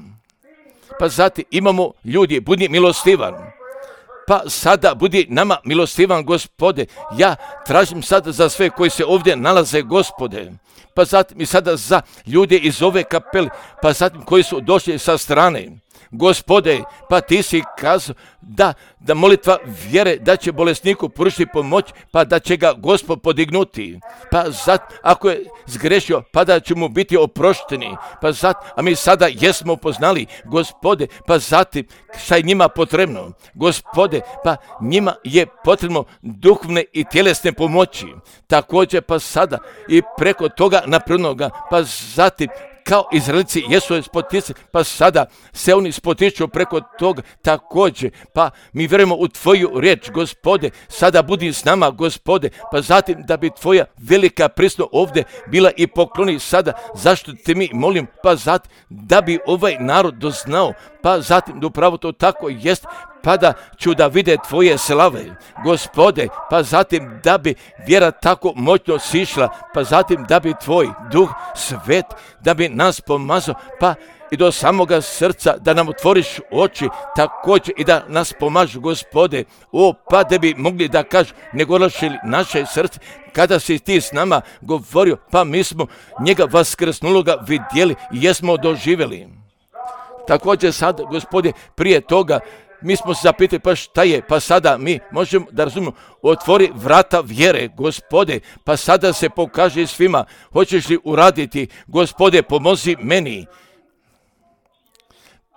pa zatim imamo ljudi, budi milostivan. Pa sada budi nama milostivan, Gospode. Ja tražim sada za sve koji se ovdje nalaze, Gospode. Pa zatim i sada za ljude iz ove kapele, pa zatim koji su došli sa strane. Gospode, pa ti si kazao da, da molitva vjere da će bolesniku pružiti pomoć, pa da će ga Gospod podignuti. Pa zat, ako je zgrešio, pa da će mu biti oprošteni. Pa zat, a mi sada jesmo poznali, Gospode, pa zatim šta je njima potrebno. Gospode, pa njima je potrebno duhovne i tjelesne pomoći. Također pa sada i preko toga naprednoga, pa zatim kao Izraelci jesu spoticani, pa sada se oni spotiču preko toga također, pa mi vjerujemo u tvoju riječ, Gospode, sada budi s nama, Gospode, pa zatim da bi tvoja velika prisutnost ovdje bila i pokloni sada, zašto te mi molim, pa zatim da bi ovaj narod doznao, pa zatim da upravo to tako jest, pa da ću da vide tvoje slave, Gospode, pa zatim da bi vjera tako moćno sišla, pa zatim da bi tvoj duh svet, da bi nas pomazao, pa i do samoga srca, da nam otvoriš oči, također i da nas pomažu, Gospode, o, pa da bi mogli da kažu, ne golašili naše srce, kada si ti s nama govorio, pa mi smo njega vaskrsnuloga vidjeli i jesmo doživjeli. Također sad, Gospode, prije toga, mi smo se zapitali, pa šta je, pa sada mi možemo da razumimo, otvori vrata vjere, Gospode, pa sada se pokaže svima, hoćeš li uraditi, Gospode, pomozi meni.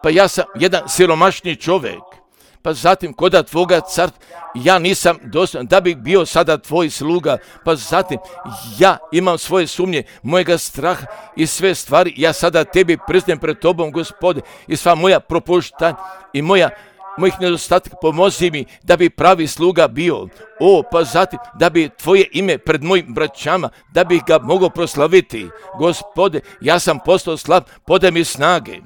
Pa ja sam jedan siromašni čovjek, pa zatim koda tvoga carstva, ja nisam dostojan da bih bio sada tvoj sluga, pa zatim ja imam svoje sumnje, mojega straha i sve stvari, ja sada tebi priznajem pred tobom, Gospode, i sva moja propuštanja i moja mojih nedostatka, pomozi mi da bi pravi sluga bio. O, pa zatim da bi tvoje ime pred mojim braćama, da bih ga mogao proslaviti. Gospode, ja sam postao slab, podaj mi snage.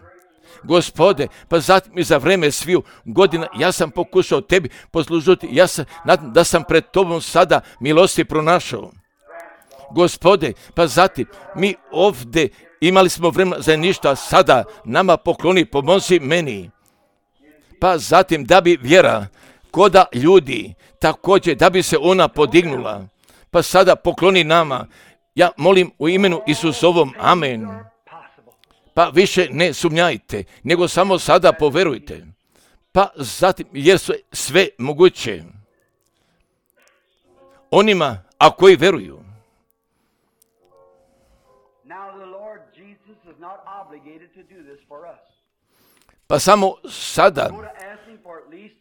Gospode, pa zatim i za vreme sviju godina ja sam pokušao tebi poslužiti, ja sam nadam da sam pred tobom sada milosti pronašao. Gospode, pa zatim mi ovdje imali smo vremena za ništa, sada nama pokloni, pomozi meni. Pa zatim da bi vjera koda ljudi, također da bi se ona podignula, pa sada pokloni nama. Ja molim u imenu Isusovom, amen. Pa više ne sumnjajte, nego samo sada poverujte. Pa zatim, jer su sve moguće onima, a koji veruju. Pa samo sada,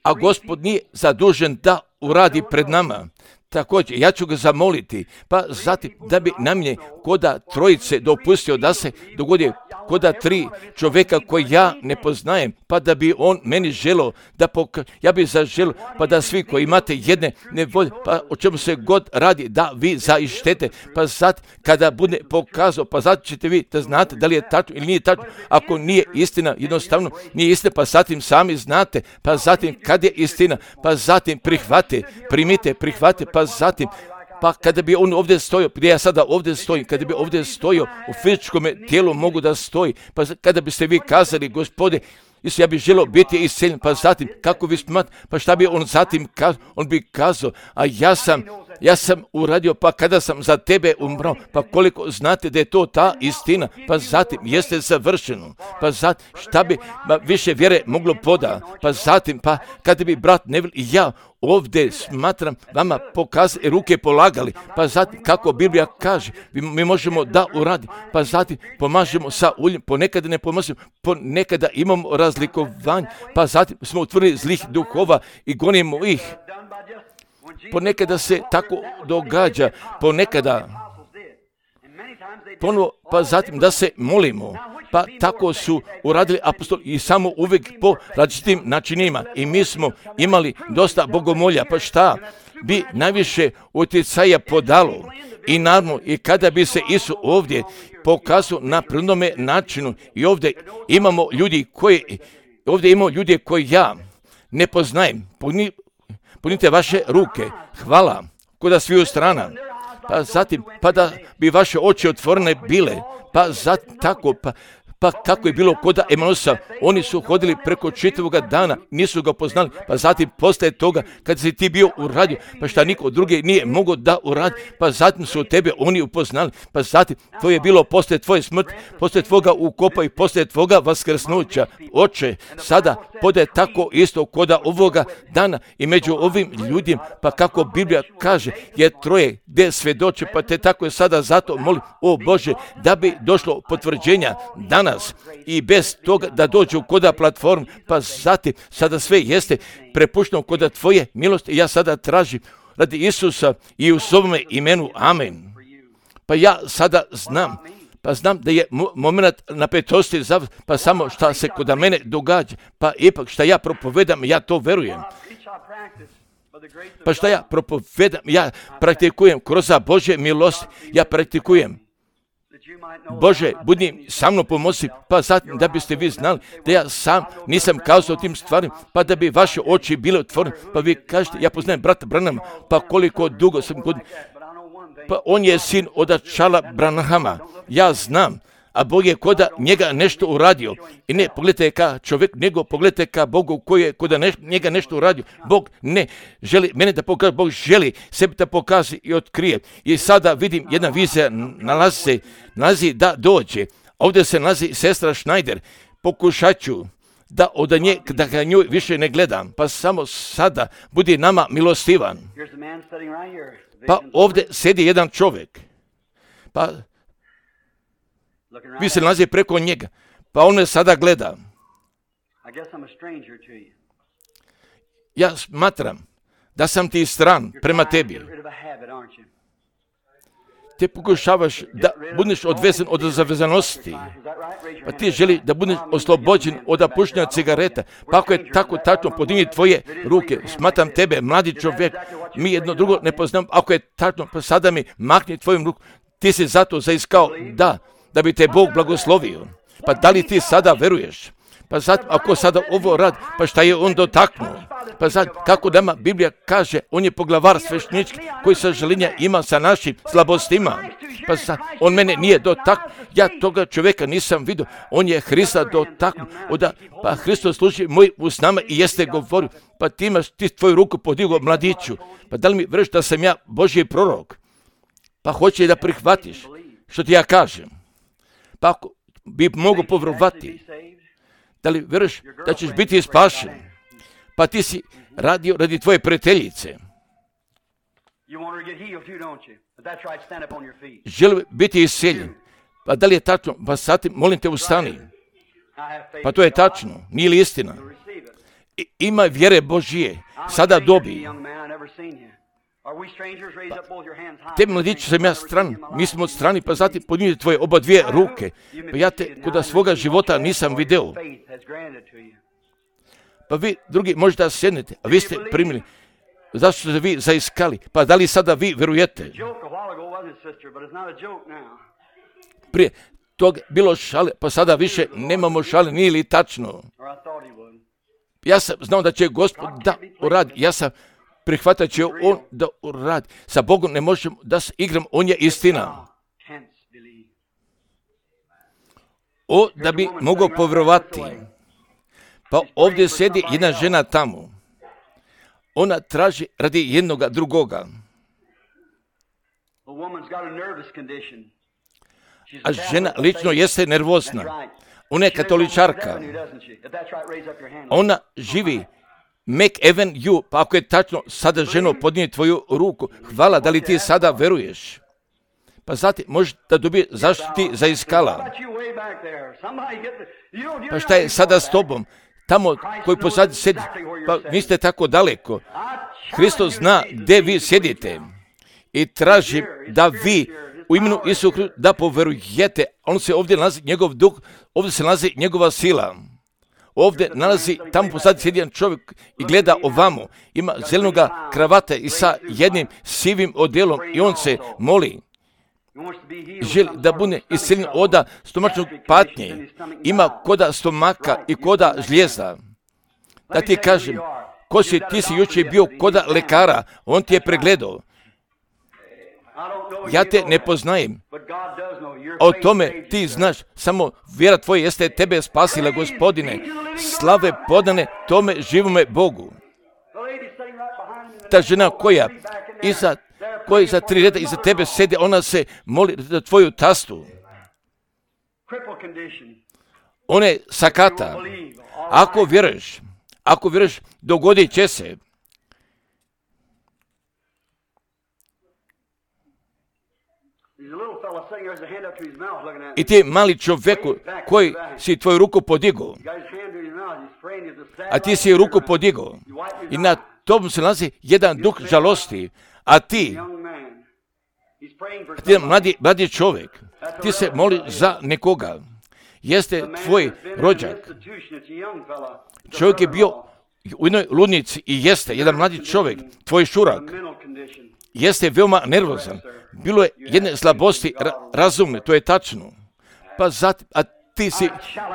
a Gospod nije zadužen da uradi pred nama. Također, ja ću ga zamoliti, pa zatim da bi na mnje koda trojice dopustio da se dogodi koda tri čovjeka koji ja ne poznajem, pa da bi on meni želio da pokaže, ja bi zaželio, pa da svi koji imate jedne nevolje, pa o čemu se god radi, da vi zaištete, pa zatim kada bude pokazao, pa zatim ćete vi da znate da li je tačno ili nije tačno. Ako nije istina, jednostavno nije istina, pa zatim sami znate, pa zatim kad je istina, pa zatim prihvate, primite, prihvate, pa zatim, pa kada bi on ovdje stojio, gdje ja sada ovdje stojim, kada bi ovdje stojio u fizičkom tijelu mogu da stoji, pa kada biste vi kazali, Gospode, ja bih želio biti isceljen, pa zatim, kako vi smat, pa šta bi on zatim kazao, on bi kazao, a ja sam, ja sam uradio, pa kada sam za tebe umrao, pa koliko znate da je to ta istina, pa zatim, jeste završeno, pa zatim, šta bi ba, više vjere moglo poda, pa zatim, pa kada bi brat Neville i ja ovdje smatram vama pokazali, ruke polagali, pa zatim, kako Biblija kaže, mi možemo da uradi, pa zatim pomažemo sa uljem, ponekada ne pomažemo, ponekada imamo razlikovanje, pa zatim smo utvrdili zlih duhova i gonimo ih. Ponekada se tako događa, ponekada ponovo, pa zatim da se molimo, pa tako su uradili apostoli i samo uvijek po različitim načinima i mi smo imali dosta bogomolja, pa šta bi najviše utjecaja podalo i naravno i kada bi se Isus ovdje pokazao na prvnome načinu i ovdje imamo ljudi koji, ovdje imamo ljudi koji ja ne poznajem, Puni, punite vaše ruke, hvala, koda sviju strana, pa zatim, pa da bi vaše oči otvorene bile, pa zatim tako, pa Pa kako je bilo koda Emanusa, oni su hodili preko čitavoga dana, nisu ga poznali, pa zatim postaje toga kad si ti bio uradio, pa šta niko drugi nije mogao da uradi, pa zatim su tebe oni upoznali, pa zatim to je bilo poslije tvoje smrti, poslije tvoga ukopa i poslije tvoga vaskrsnuća. Oče, sada podaje tako isto koda ovoga dana i među ovim ljudima, pa kako Biblija kaže, je troje gdje svedoče, pa te tako je sada zato molim, o Bože, da bi došlo potvrđenja dana i bez toga da dođu koda platform, pa zatim sada sve jeste prepušteno koda tvoje milosti. Ja sada tražim radi Isusa i u svome imenu, amen. Pa ja sada znam, pa znam da je moment napetosti, pa samo šta se koda mene događa, pa ipak šta ja propovedam, ja to verujem. Pa šta ja propovedam, ja praktikujem kroz Božje milosti, ja praktikujem. Bože, budi sa mnom pomozi, pa zatim da biste vi znali da ja sam nisam kazao tim stvarima, pa da bi vaše oči bile otvorene, pa vi kažete, ja poznajem brata Branhama, pa koliko dugo sam godina, pa on je sin od Charlesa Branhama, ja znam, a Bog je koda njega nešto uradio. I ne pogledajte ka čovjek, nego pogledajte ka Bogu koji je koda ne, njega nešto uradio. Bog ne želi mene da pokaže, Bog želi sebi da pokaže i otkrije. I sada vidim jedna vizija nalazi se, nalazi da dođe. Ovdje se nalazi sestra Schneider. Pokušat ću da od nje, da ga njoj više ne gledam, pa samo sada budi nama milostivan. Pa ovdje sedi jedan čovjek. Pa vi se nalazi preko njega, pa on me sada gleda. Ja smatram da sam ti stran prema tebi. Ti pokušavaš da budeš odvezen od zavezanosti, pa ti želi da budeš oslobođen od pušenja cigareta. Pa ako je tako tačno, podigni tvoje ruke, smatram tebe, mladi čovjek, mi jedno drugo ne poznam, ako je tačno, pa sada mi makni tvojim rukom, ti si zato zaiskao, da, da bi te Bog blagoslovio. Pa da li ti sada veruješ? Pa sad, ako sada ovo radi, pa šta je on dotaknuo? Pa sad, kako nama Biblija kaže, on je poglavar sveštenički koji sažaljenja ima sa našim slabostima. Pa sad, on mene nije dotaknuo, ja toga čovjeka nisam vidio, on je Hrista dotaknuo. Oda, pa Hristos služi moj usnama i jeste govorio, pa ti imaš ti tvoju ruku podigao mladiću. Pa da li mi vreš da sam ja Božji prorok? Pa hoće da prihvatiš što ti ja kažem. Pa ako bi mogu povjerovati, da li vjeruješ da ćeš biti spašen? Pa ti si radio radi tvoje prijateljice. Želi biti isceljen. Pa da li je tačno? Pa sad molim te ustani. Pa to je tačno, nije li istina? I, ima vjere Božije, sada dobi. Pa, te mladići sam ja stran, mi smo od strani, pa zatim podnijete tvoje oba dvije ruke. Pa ja te kod svoga života nisam video. Pa vi drugi možete da sjednete, a vi ste primili. Zašto ste vi zaiskali? Pa da li sada vi vjerujete? Prije tog bilo šale, pa sada više nemamo šale, nije li tačno? Ja sam znao da će Gospod da uradi, ja sam prihvatat će on da uradi. Sa Bogom ne možemo da se igram, on je istina. O, da bi mogao povjerovati. Pa ovdje sjedi jedna žena tamo. Ona traži radi jednoga drugoga. A žena lično jeste nervozna. Ona je katoličarka. Ona živi McAvenue, pa ako je tačno, sada ženo podnije tvoju ruku. Hvala, da li ti sada veruješ? Pa zatim možeš da dobije zašto ti zaiskala. Pa šta je sada s tobom? Tamo koji pozadi sedi, pa vi ste tako daleko. Hristos zna gdje vi sjedite i traži da vi u imenu Isusa da poverujete. On se ovdje nalazi njegov duh, ovdje se nalazi njegova sila. Ovdje nalazi, tamo pozadi sjedi jedan čovjek i gleda ovamo. Ima zelenoga kravata i sa jednim sivim odjelom i on se moli. Želi da bude isceljen oda stomačnog patnje. Ima koda stomaka i koda žlijeza. Da ti kažem, ko si, ti si jučer bio koda lekara, on ti je pregledao. Ja te ne poznajem. O tome ti znaš, samo vjera tvoja jeste tebe spasila, Gospodine. Slave podane tome živome Bogu. Ta žena koja iza koji za tri reda iza tebe sede, ona se moli za tvoju tastu. Ona je sakata. Ako vjeruješ, ako vjeruješ, dogodit će se. I ti mali čovjeku koji si tvoju ruku podigao, a ti si ruku podigao i na tom se nalazi jedan duh žalosti, a ti, a ti mladi, mladi čovjek, ti se moli za nekoga, jeste tvoj rođak. Čovjek je bio u jednoj ludnici i jeste jedan mladi čovjek, tvoj šurak, jeste veoma nervozan. Bilo je jedne slabosti ra- razumne, to je tačno. Pa zatim, a ti si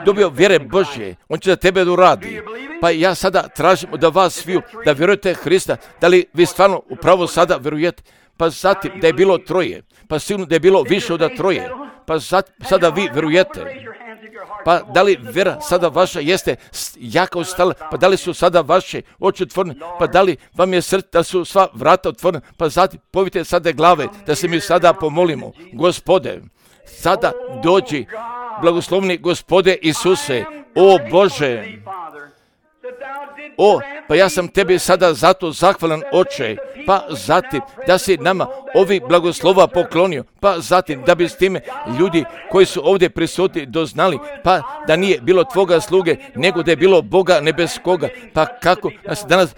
dobio vjere Božje, on će za tebe da radi. Pa ja sada tražim da vas sviju, da vjerujete Hrista, da li vi stvarno upravo sada vjerujete. Pa zatim da je bilo troje, pa sigurno da je bilo više od troje, pa zatim, sada vi vjerujete. Pa da li vjera sada vaša jeste jaka ostala, pa da li su sada vaše oči otvorene, pa da li vam je srce, da su sva vrata otvorene, pa zatim povite sada glave, da se mi sada pomolimo. Gospode, sada dođi, blagoslovni Gospode Isuse, o Bože, o, pa ja sam tebi sada zato zahvalan, Oče, pa zatim da si nama ovi blagoslova poklonio, pa zatim da bi s time ljudi koji su ovdje prisutni doznali, pa da nije bilo tvoga sluge, nego da je bilo Boga nebeskoga, pa kako nas danas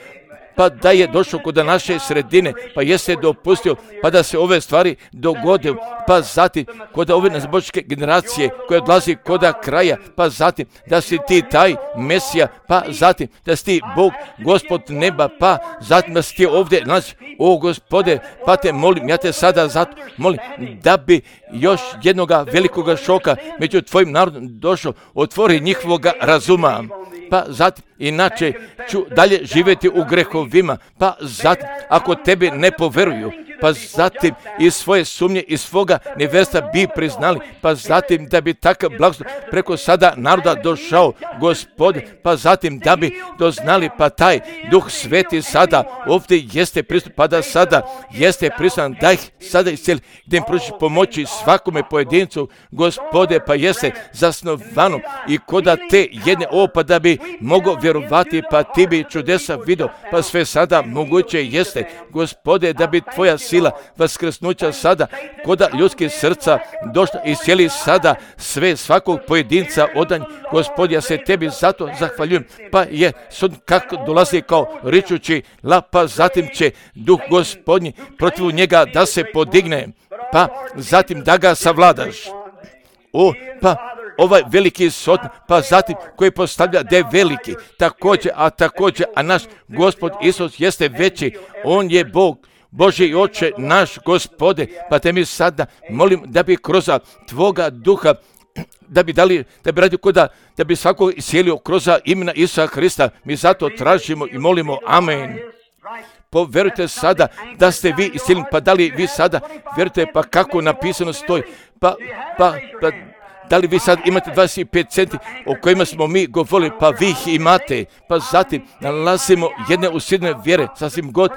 pa da je došao kod naše sredine, pa jeste dopustio, pa da se ove stvari dogode, pa zatim kod ove nazbočke generacije koja odlazi kod kraja, pa zatim da si ti taj Mesija, pa zatim da si ti Bog, Gospod neba, pa zatim da si ti ovdje nalazi. O Gospode, pa te molim, ja te sada zato molim da bi još jednoga velikoga šoka među tvojim narodom došao, otvori njihovoga razuma, pa zatim inače ću dalje živjeti u grehovima, pa zatim ako tebi ne poveruju, pa zatim iz svoje sumnje, iz svoga neverstva bi priznali, pa zatim da bi takav blagoslov preko sada naroda došao, Gospode, pa zatim da bi doznali, pa taj Duh Sveti sada ovdje jeste prisutan, pa da sada jeste prisutan, da ih sada iscijeli, da im pružiš pomoći svakome pojedincu, Gospode, pa jeste zasnovano i koda te jedne ovo, pa da bi mogao vjerovati, pa ti bi čudesa vidio, pa sve sada moguće jeste, Gospode, da bi tvoja sila vaskrsnuća sada koda ljudskih srca došla i sjeli sada sve svakog pojedinca odanj. Gospod, ja se tebi zato zahvaljujem, pa je sud kako dolazi kao ričući la, pa zatim će Duh Gospodnji protiv njega da se podigne, pa zatim da ga savladaš. O, pa ovaj veliki sod, pa zatim koji postavlja da je veliki, također, a također, a naš Gospod Isus jeste veći, on je Bog, Boži Oče, naš Gospode, pa te mi sada molim da bi kroz tvoga duha, da bi dali, da bi radio koda, da bi svakog isjelio kroz imena Isusa Hrista, mi zato tražimo i molimo, amen. Poverujte sada da ste vi iscijeljeni, pa da li vi sada vjerujete, pa kako napisano stoji, pa, pa, pa da li vi sad imate dvadeset pet centi o kojima smo mi govorili, pa vi ih imate, pa zatim nalazimo jedne usidne vjere, sasvim god,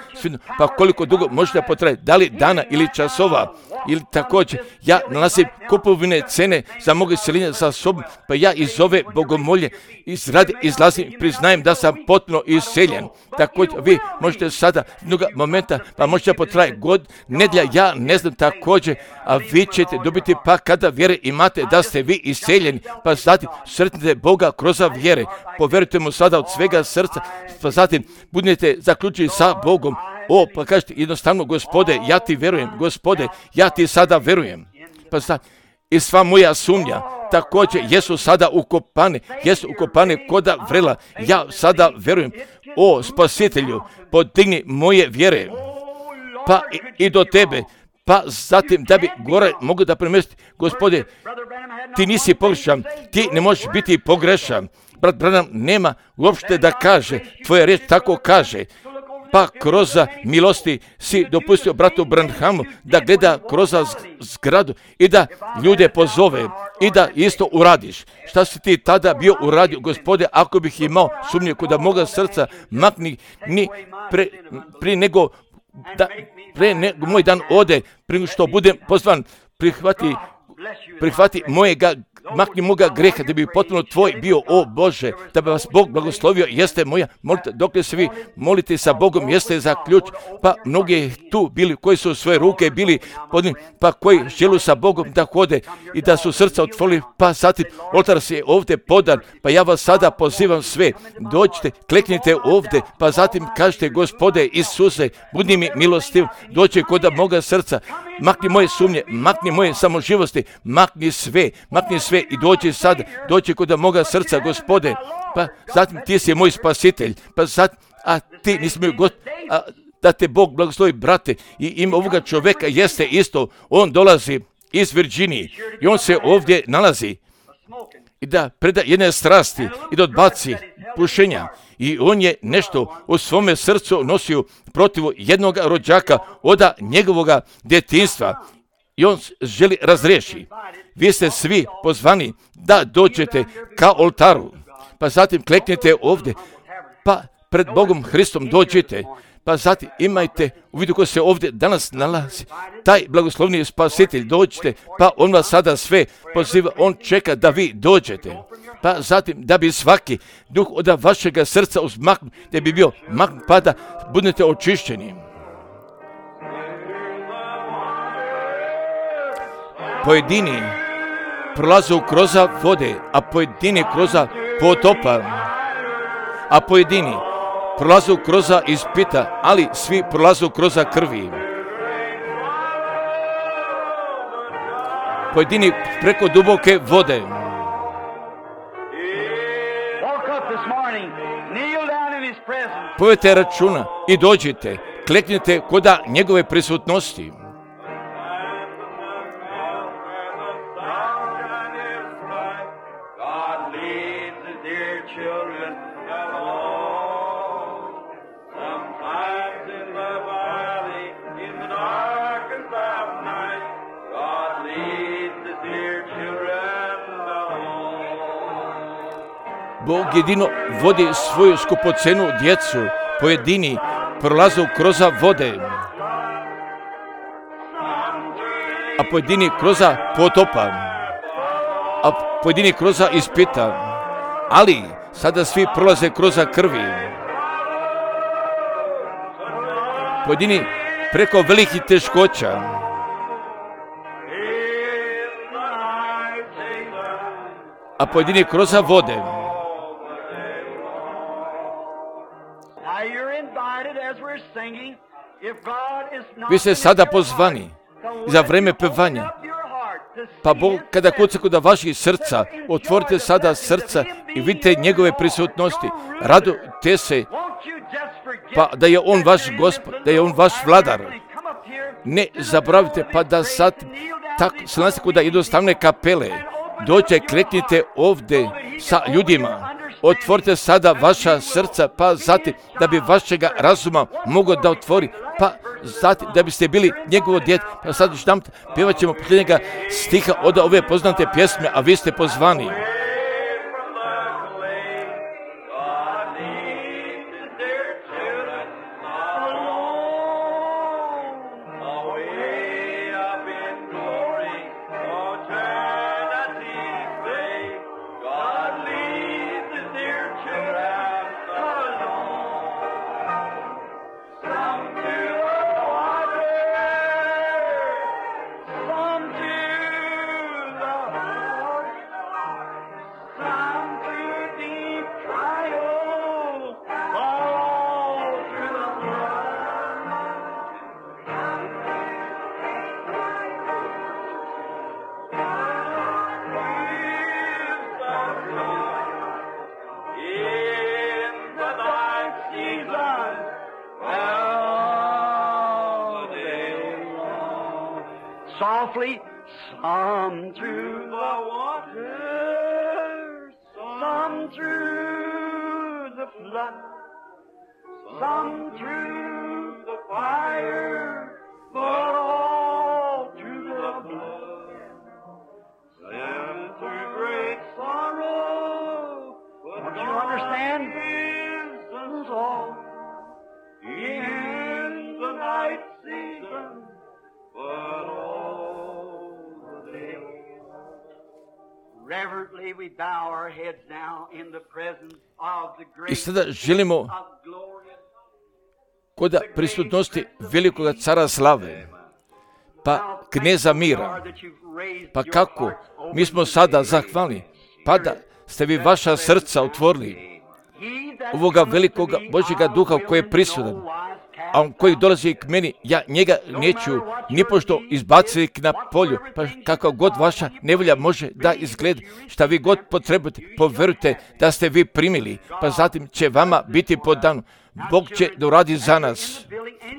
pa koliko dugo možete potrajati, da li dana ili časova, ili također, ja nalazim kupovine cene za mogu isceljenja za sobom, pa ja iz ove bogomolje izradi, izlazim, priznajem da sam potpuno isceljen. Također, vi možete sada jednog momenta, pa možete potrajati god, nedlja, ja ne znam također, a vi ćete dobiti pa kada vjere imate da ste vi isceljeni, pa zatim sretnite Boga kroz vjere, poverujte mu sada od svega srca, pa zatim budete zaključeni sa Bogom. O, pa kažete jednostavno, Gospode, ja ti verujem, Gospode, ja ti sada verujem. Pa sad, i sva moja sumnja, također, jesu sada ukopane, jesu ukopane koda vrela, ja sada verujem. O, Spasitelju, podigni moje vjere, pa i, i do tebe, pa zatim da bi gore mogu da premesti, Gospode, ti nisi pogrešan, ti ne možeš biti pogrešan. Brat Branham nema uopšte da kaže, tvoja riječ tako kaže, pa kroz milosti si dopustio bratu Branhamu da gleda kroz zgradu i da ljude pozove i da isto uradiš. Šta si ti tada bio uradio, Gospode, ako bih imao sumnje kod moga srca, makni ni pre, pri nego da, pre nego moj dan ode, prije što budem pozvan, prihvati, prihvati mojega, makni moga greha, da bi potpuno tvoj bio, o Bože, da bi vas Bog blagoslovio, jeste moja, molite, dok se vi molite sa Bogom, jeste za ključ, pa mnogi tu bili, koji su svoje ruke bili podnim, pa koji želu sa Bogom da hode i da su srca otvorili, pa zatim oltar se je ovdje podan, pa ja vas sada pozivam sve, dođite, kleknite ovdje, pa zatim kažete, Gospode Isuse, budi mi milostiv, dođi kod moga srca, makni moje sumnje, makni moje samoživosti, makni sve, makni sve i dođi sad, dođi kod moga srca, Gospode, pa zatim ti si moj spasitelj, pa zatim, a ti nisi moj God, a, da te Bog blagoslovi, brate, i ime ovoga čovjeka jeste isto, on dolazi iz Virginije i on se ovdje nalazi i da preda jedne strasti i da odbaci pušenja. I on je nešto u svome srcu nosio protiv jednog rođaka od njegovoga djetinjstva i on želi razriješi. Vi ste svi pozvani da dođete ka oltaru, pa zatim kleknite ovdje, pa pred Bogom Hristom dođite, pa zatim imajte u vidu ko se ovdje danas nalazi, taj blagoslovni spasitelj, dođite, pa on vas sada sve poziva, on čeka da vi dođete, pa zatim da bi svaki duh od vašega srca uzmaknut, da bi bio maknut, pa da budete očišćeni. Pojedini prolaze kroz vode, a pojedini kroz potopa, a pojedini prolazu kroz ispita, ali svi prolazu kroz krvi. Pojedini preko duboke vode. Povete računa i dođite, kleknite koda njegove prisutnosti. Bog jedino vodi svoju skupocenu djecu, pojedini prolazu kroz vode, a pojedini kroz potopa, a pojedini kroz ispita, ali sada svi prolaze kroz krvi. Pojedini preko velikih teškoća, a pojedini kroz vode. Vi ste sada pozvani za vreme pevanja. Pa Bog, kada kuca kod vaših srca, otvorite sada srca i vidite njegove prisutnosti. Radujte se, pa da je on vaš gospod, da je on vaš vladar. Ne zaboravite, pa da sad tako se nalazi kod jednostavne kapele. Dođe, kleknite ovdje sa ljudima. Otvorite sada vaša srca, pa zatim da bi vašega razuma mogao da otvori, pa zatim da biste bili njegovo dijete. Pa sad još nam pjevat ćemo posljednjega stiha od ove poznate pjesme, a vi ste pozvani. Softly, some through the waters, some through the flood, some through the fire, but all through the blood. Some through great sorrow, but don't you understand? Is all in the night season, but all the day. Reverently we bow our heads now in the presence of the great I sada želimo of glory. kod prisutnosti velikoga cara slave, pa kneza mira. Pa kako? Mi smo sada zahvalni, pa da ste vi vaša srca otvorili ovoga velikoga Božjega duha koji je prisutan, a on koji dolazi k meni, ja njega neću nipošto izbaciti na polju, pa kako god vaša nevolja može da izgleda, šta vi god potrebujete, povjerujte da ste vi primili, pa zatim će vama biti podano. Bog će da uradi za nas.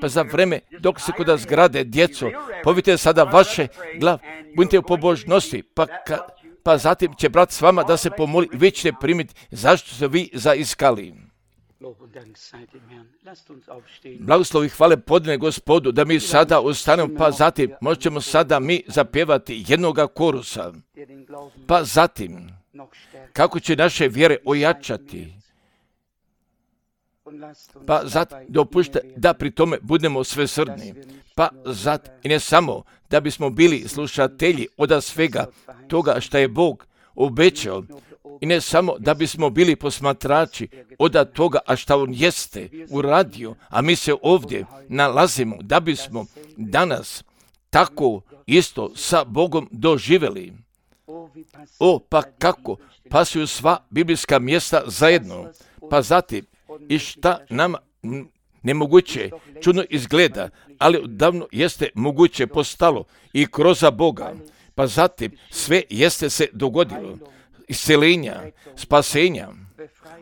Pa za vreme dok se kod zgrade djeco, povite sada vaše glav, budite u pobožnosti, pa, ka, pa zatim će brat s vama da se pomoli i vi ćete primiti zašto ste vi zaiskali. Blagoslovi hvale podne Gospodu da mi sada ustanemo, pa zatim možemo sada mi zapjevati jednoga korusa, pa zatim kako će naše vjere ojačati, pa zatim dopušte da pri tome budemo svesrdni, pa zatim i ne samo da bismo bili slušatelji od svega toga što je Bog obećao, i ne samo da bismo bili posmatrači od toga, a što on jeste uradio, a mi se ovdje nalazimo da bismo danas tako isto sa Bogom doživjeli. O, pa kako pasuju sva biblijska mjesta zajedno, pa zatim i šta nama nemoguće čudno izgleda, ali odavno jeste moguće postalo i kroz Boga. Pa zatim sve jeste se dogodilo. Isceljenja, spasenja,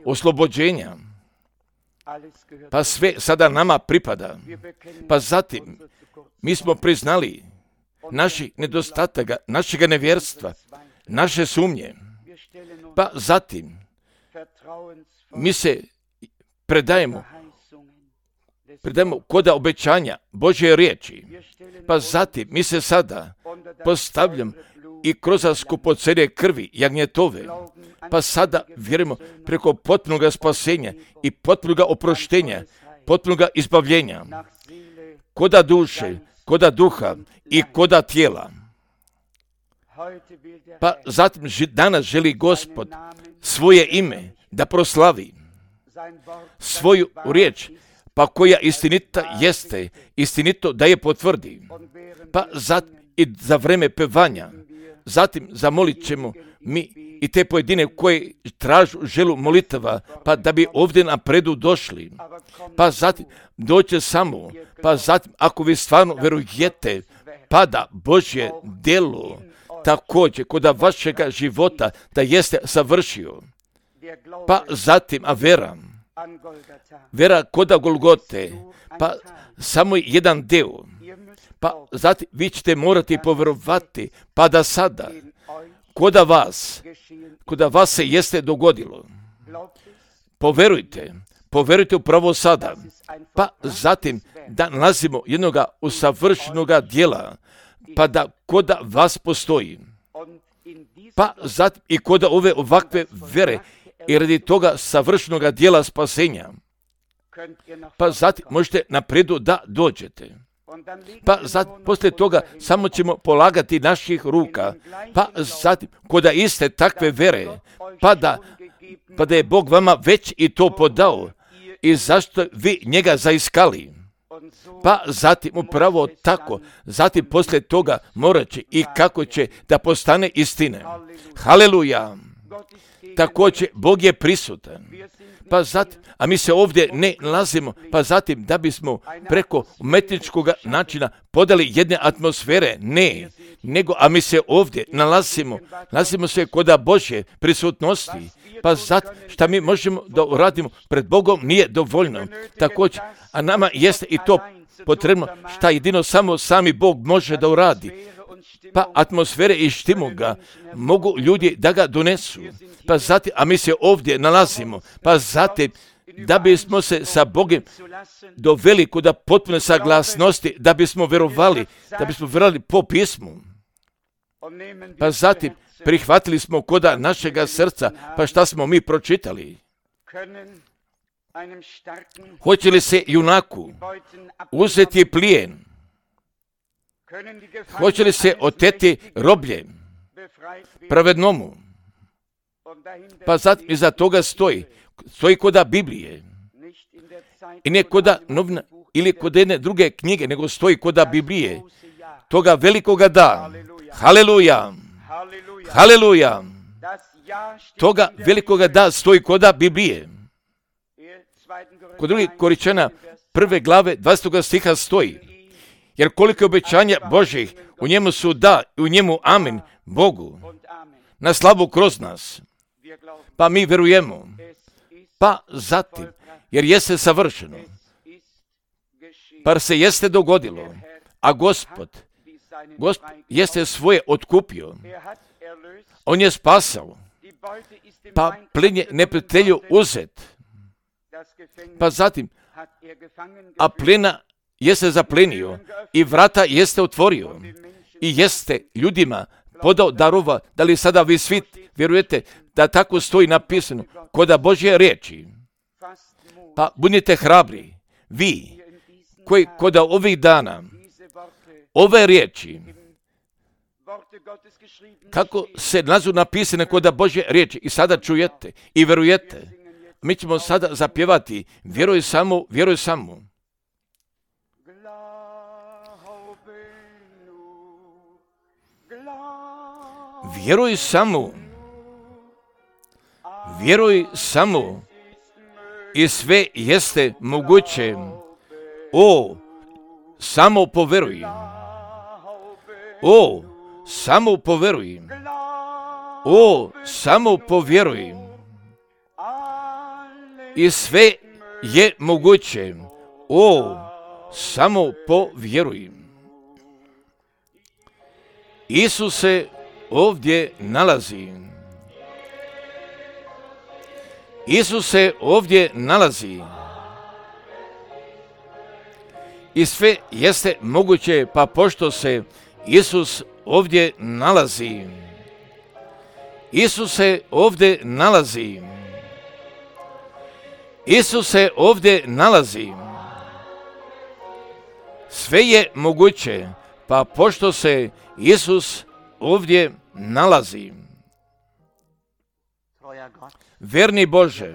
oslobođenja. Pa sve sada nama pripada. Pa zatim mi smo priznali naših nedostataka, našega nevjerstva, naše sumnje. Pa zatim mi se predajemo, predajemo koda obećanja Božje riječi. Pa zatim mi se sada postavljamo i kroz skupocjenje krvi jagnjetove. Pa sada vjerujemo preko potpunog spasenja i potpunog oproštenja, potpunog izbavljenja, koda duše, koda duha i koda tijela. Pa zatim danas želi Gospod svoje ime da proslavi, svoju riječ, pa koja istinita jeste, istinito da je potvrdi. Pa zatim i za vreme pevanja, zatim zamolit ćemo mi i te pojedine koje tražu želu molitava, pa da bi ovdje napredu došli. Pa zatim doće samo, pa zatim ako vi stvarno verujete, pa da Božje djelo također kod vašega života da jeste savršio. Pa zatim, a vera, vera koda Golgote, pa samo jedan deo. Pa zatim vi ćete morati povjerovati, pa da sada, koda vas, koda vas se jeste dogodilo. Poverujte, poverujte upravo sada, pa zatim da nalazimo jednoga usavršenoga djela, pa da koda vas postoji. Pa zatim i koda ove ovakve vere i radi toga savršenoga djela spasenja, pa zatim možete napredu da dođete. Pa zatim, poslije toga samo ćemo polagati naših ruka, pa zatim, koda iste takve vere, pa da, pa da je Bog vama već i to podao i zašto vi njega zaiskali. Pa zatim upravo tako, zatim poslije toga morat će i kako će da postane istine. Haleluja! Također, Bog je prisutan. Pa zatim, a mi se ovdje ne nalazimo, pa zatim da bismo preko umetničkog načina podali jedne atmosfere, ne, nego, a mi se ovdje nalazimo, nalazimo se koda Božje prisutnosti, pa zatim šta mi možemo da uradimo pred Bogom nije dovoljno. Također, a nama jeste i to potrebno šta jedino samo sami Bog može da uradi. Pa atmosfere i štimuga mogu ljudi da ga donesu. Pa zatim, a mi se ovdje nalazimo, pa zatim da bismo se sa Bogom doveli kod potpune saglasnosti, da bismo verovali, da bismo verovali po pismu. Pa zatim prihvatili smo koda našega srca, pa šta smo mi pročitali? Hoće li se junaku uzeti plijen? Hoće li se oteti roblje pravednomu? Pa zatim iza toga stoji, stoji koda Biblije. I ne koda novina ili kod jedne druge knjige, nego stoji koda Biblije. Toga velikoga da. Haleluja! Haleluja! Toga velikoga da stoji koda Biblije. Kod drugih Koričana prve glave dvadesetog stiha stoji. Jer koliko obećanja Božjih u njemu su da i u njemu amin Bogu na slavu kroz nas. Pa mi verujemo. Pa zatim, jer jeste savršeno. Pa se jeste dogodilo. A Gospod, Gospod jeste svoje otkupio. On je spasao. Pa plen je neprijatelju uzet. Pa zatim, a plena jeste zaplenio i vrata jeste otvorio i jeste ljudima podao darova. Da li sada vi svi vjerujete da tako stoji napisano koda Božje riječi? Pa budite hrabri, vi koji koda ovih dana ove riječi, kako se nazu napisane koda Božje riječi i sada čujete i vjerujete. Mi ćemo sada zapjevati vjeruj samo, vjeruj samo. Vjeruj samo, vjeruj samo, i sve jeste moguće. O, samo poveruj. O, samo povjeruj. O, samo povjeruj. I sve je moguće. O, samo povjeruj. Isus se ovdje nalazi. Isus se ovdje nalazi. I sve jeste moguće, pa pošto se Isus ovdje nalazi. Isus se ovdje nalazi. Isus se ovdje nalazi. Sve je moguće, pa pošto se Isus ovdje nalazi. Verni Bože,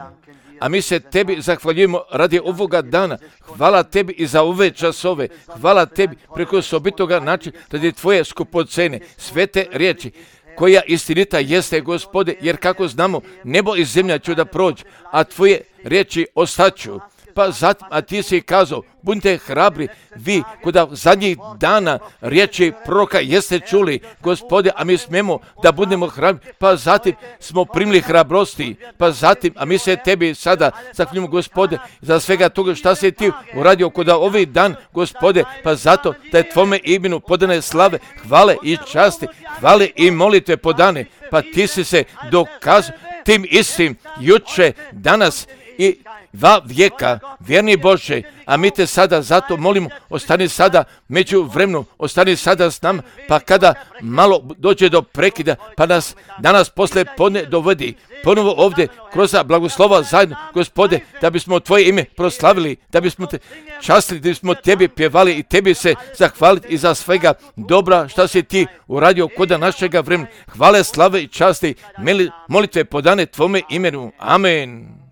a mi se Tebi zahvaljujemo radi ovoga dana. Hvala Tebi i za ove časove. Hvala Tebi preko osobitoga načina radi Tvoje skupocene, svete riječi, koja istinita jeste, Gospode, jer kako znamo, nebo i zemlja će da prođu, a Tvoje riječi ostaću. Pa zatim, a Ti si kazao, budite hrabri, vi kuda zadnjih dana riječi proroka jeste čuli, Gospode, a mi smemo da budemo hrabri, pa zatim smo primili hrabrosti, pa zatim, a mi se Tebi sada zahvaljujemo, Gospode, za svega toga šta si Ti uradio kuda ovih dan, Gospode, pa zato da je Tvome imenu podane slave, hvale i časti, hvale i molitve podane, pa Ti si se dokazao tim istim juče, danas i va vijeka, vjerni Bože, a mi Te sada zato molimo, ostani sada među vremenu, ostani sada s nama, pa kada malo dođe do prekida, pa nas danas posle podne dovedi ponovo ovdje kroz blagoslova zajedno, Gospode, da bismo Tvoje ime proslavili, da bismo Te častili, da bismo Tebi pjevali i Tebi se zahvaliti i za svega dobra šta si Ti uradio koda našega vremena. Hvale, slave i časti, molitve podane Tvome imenu. Amen.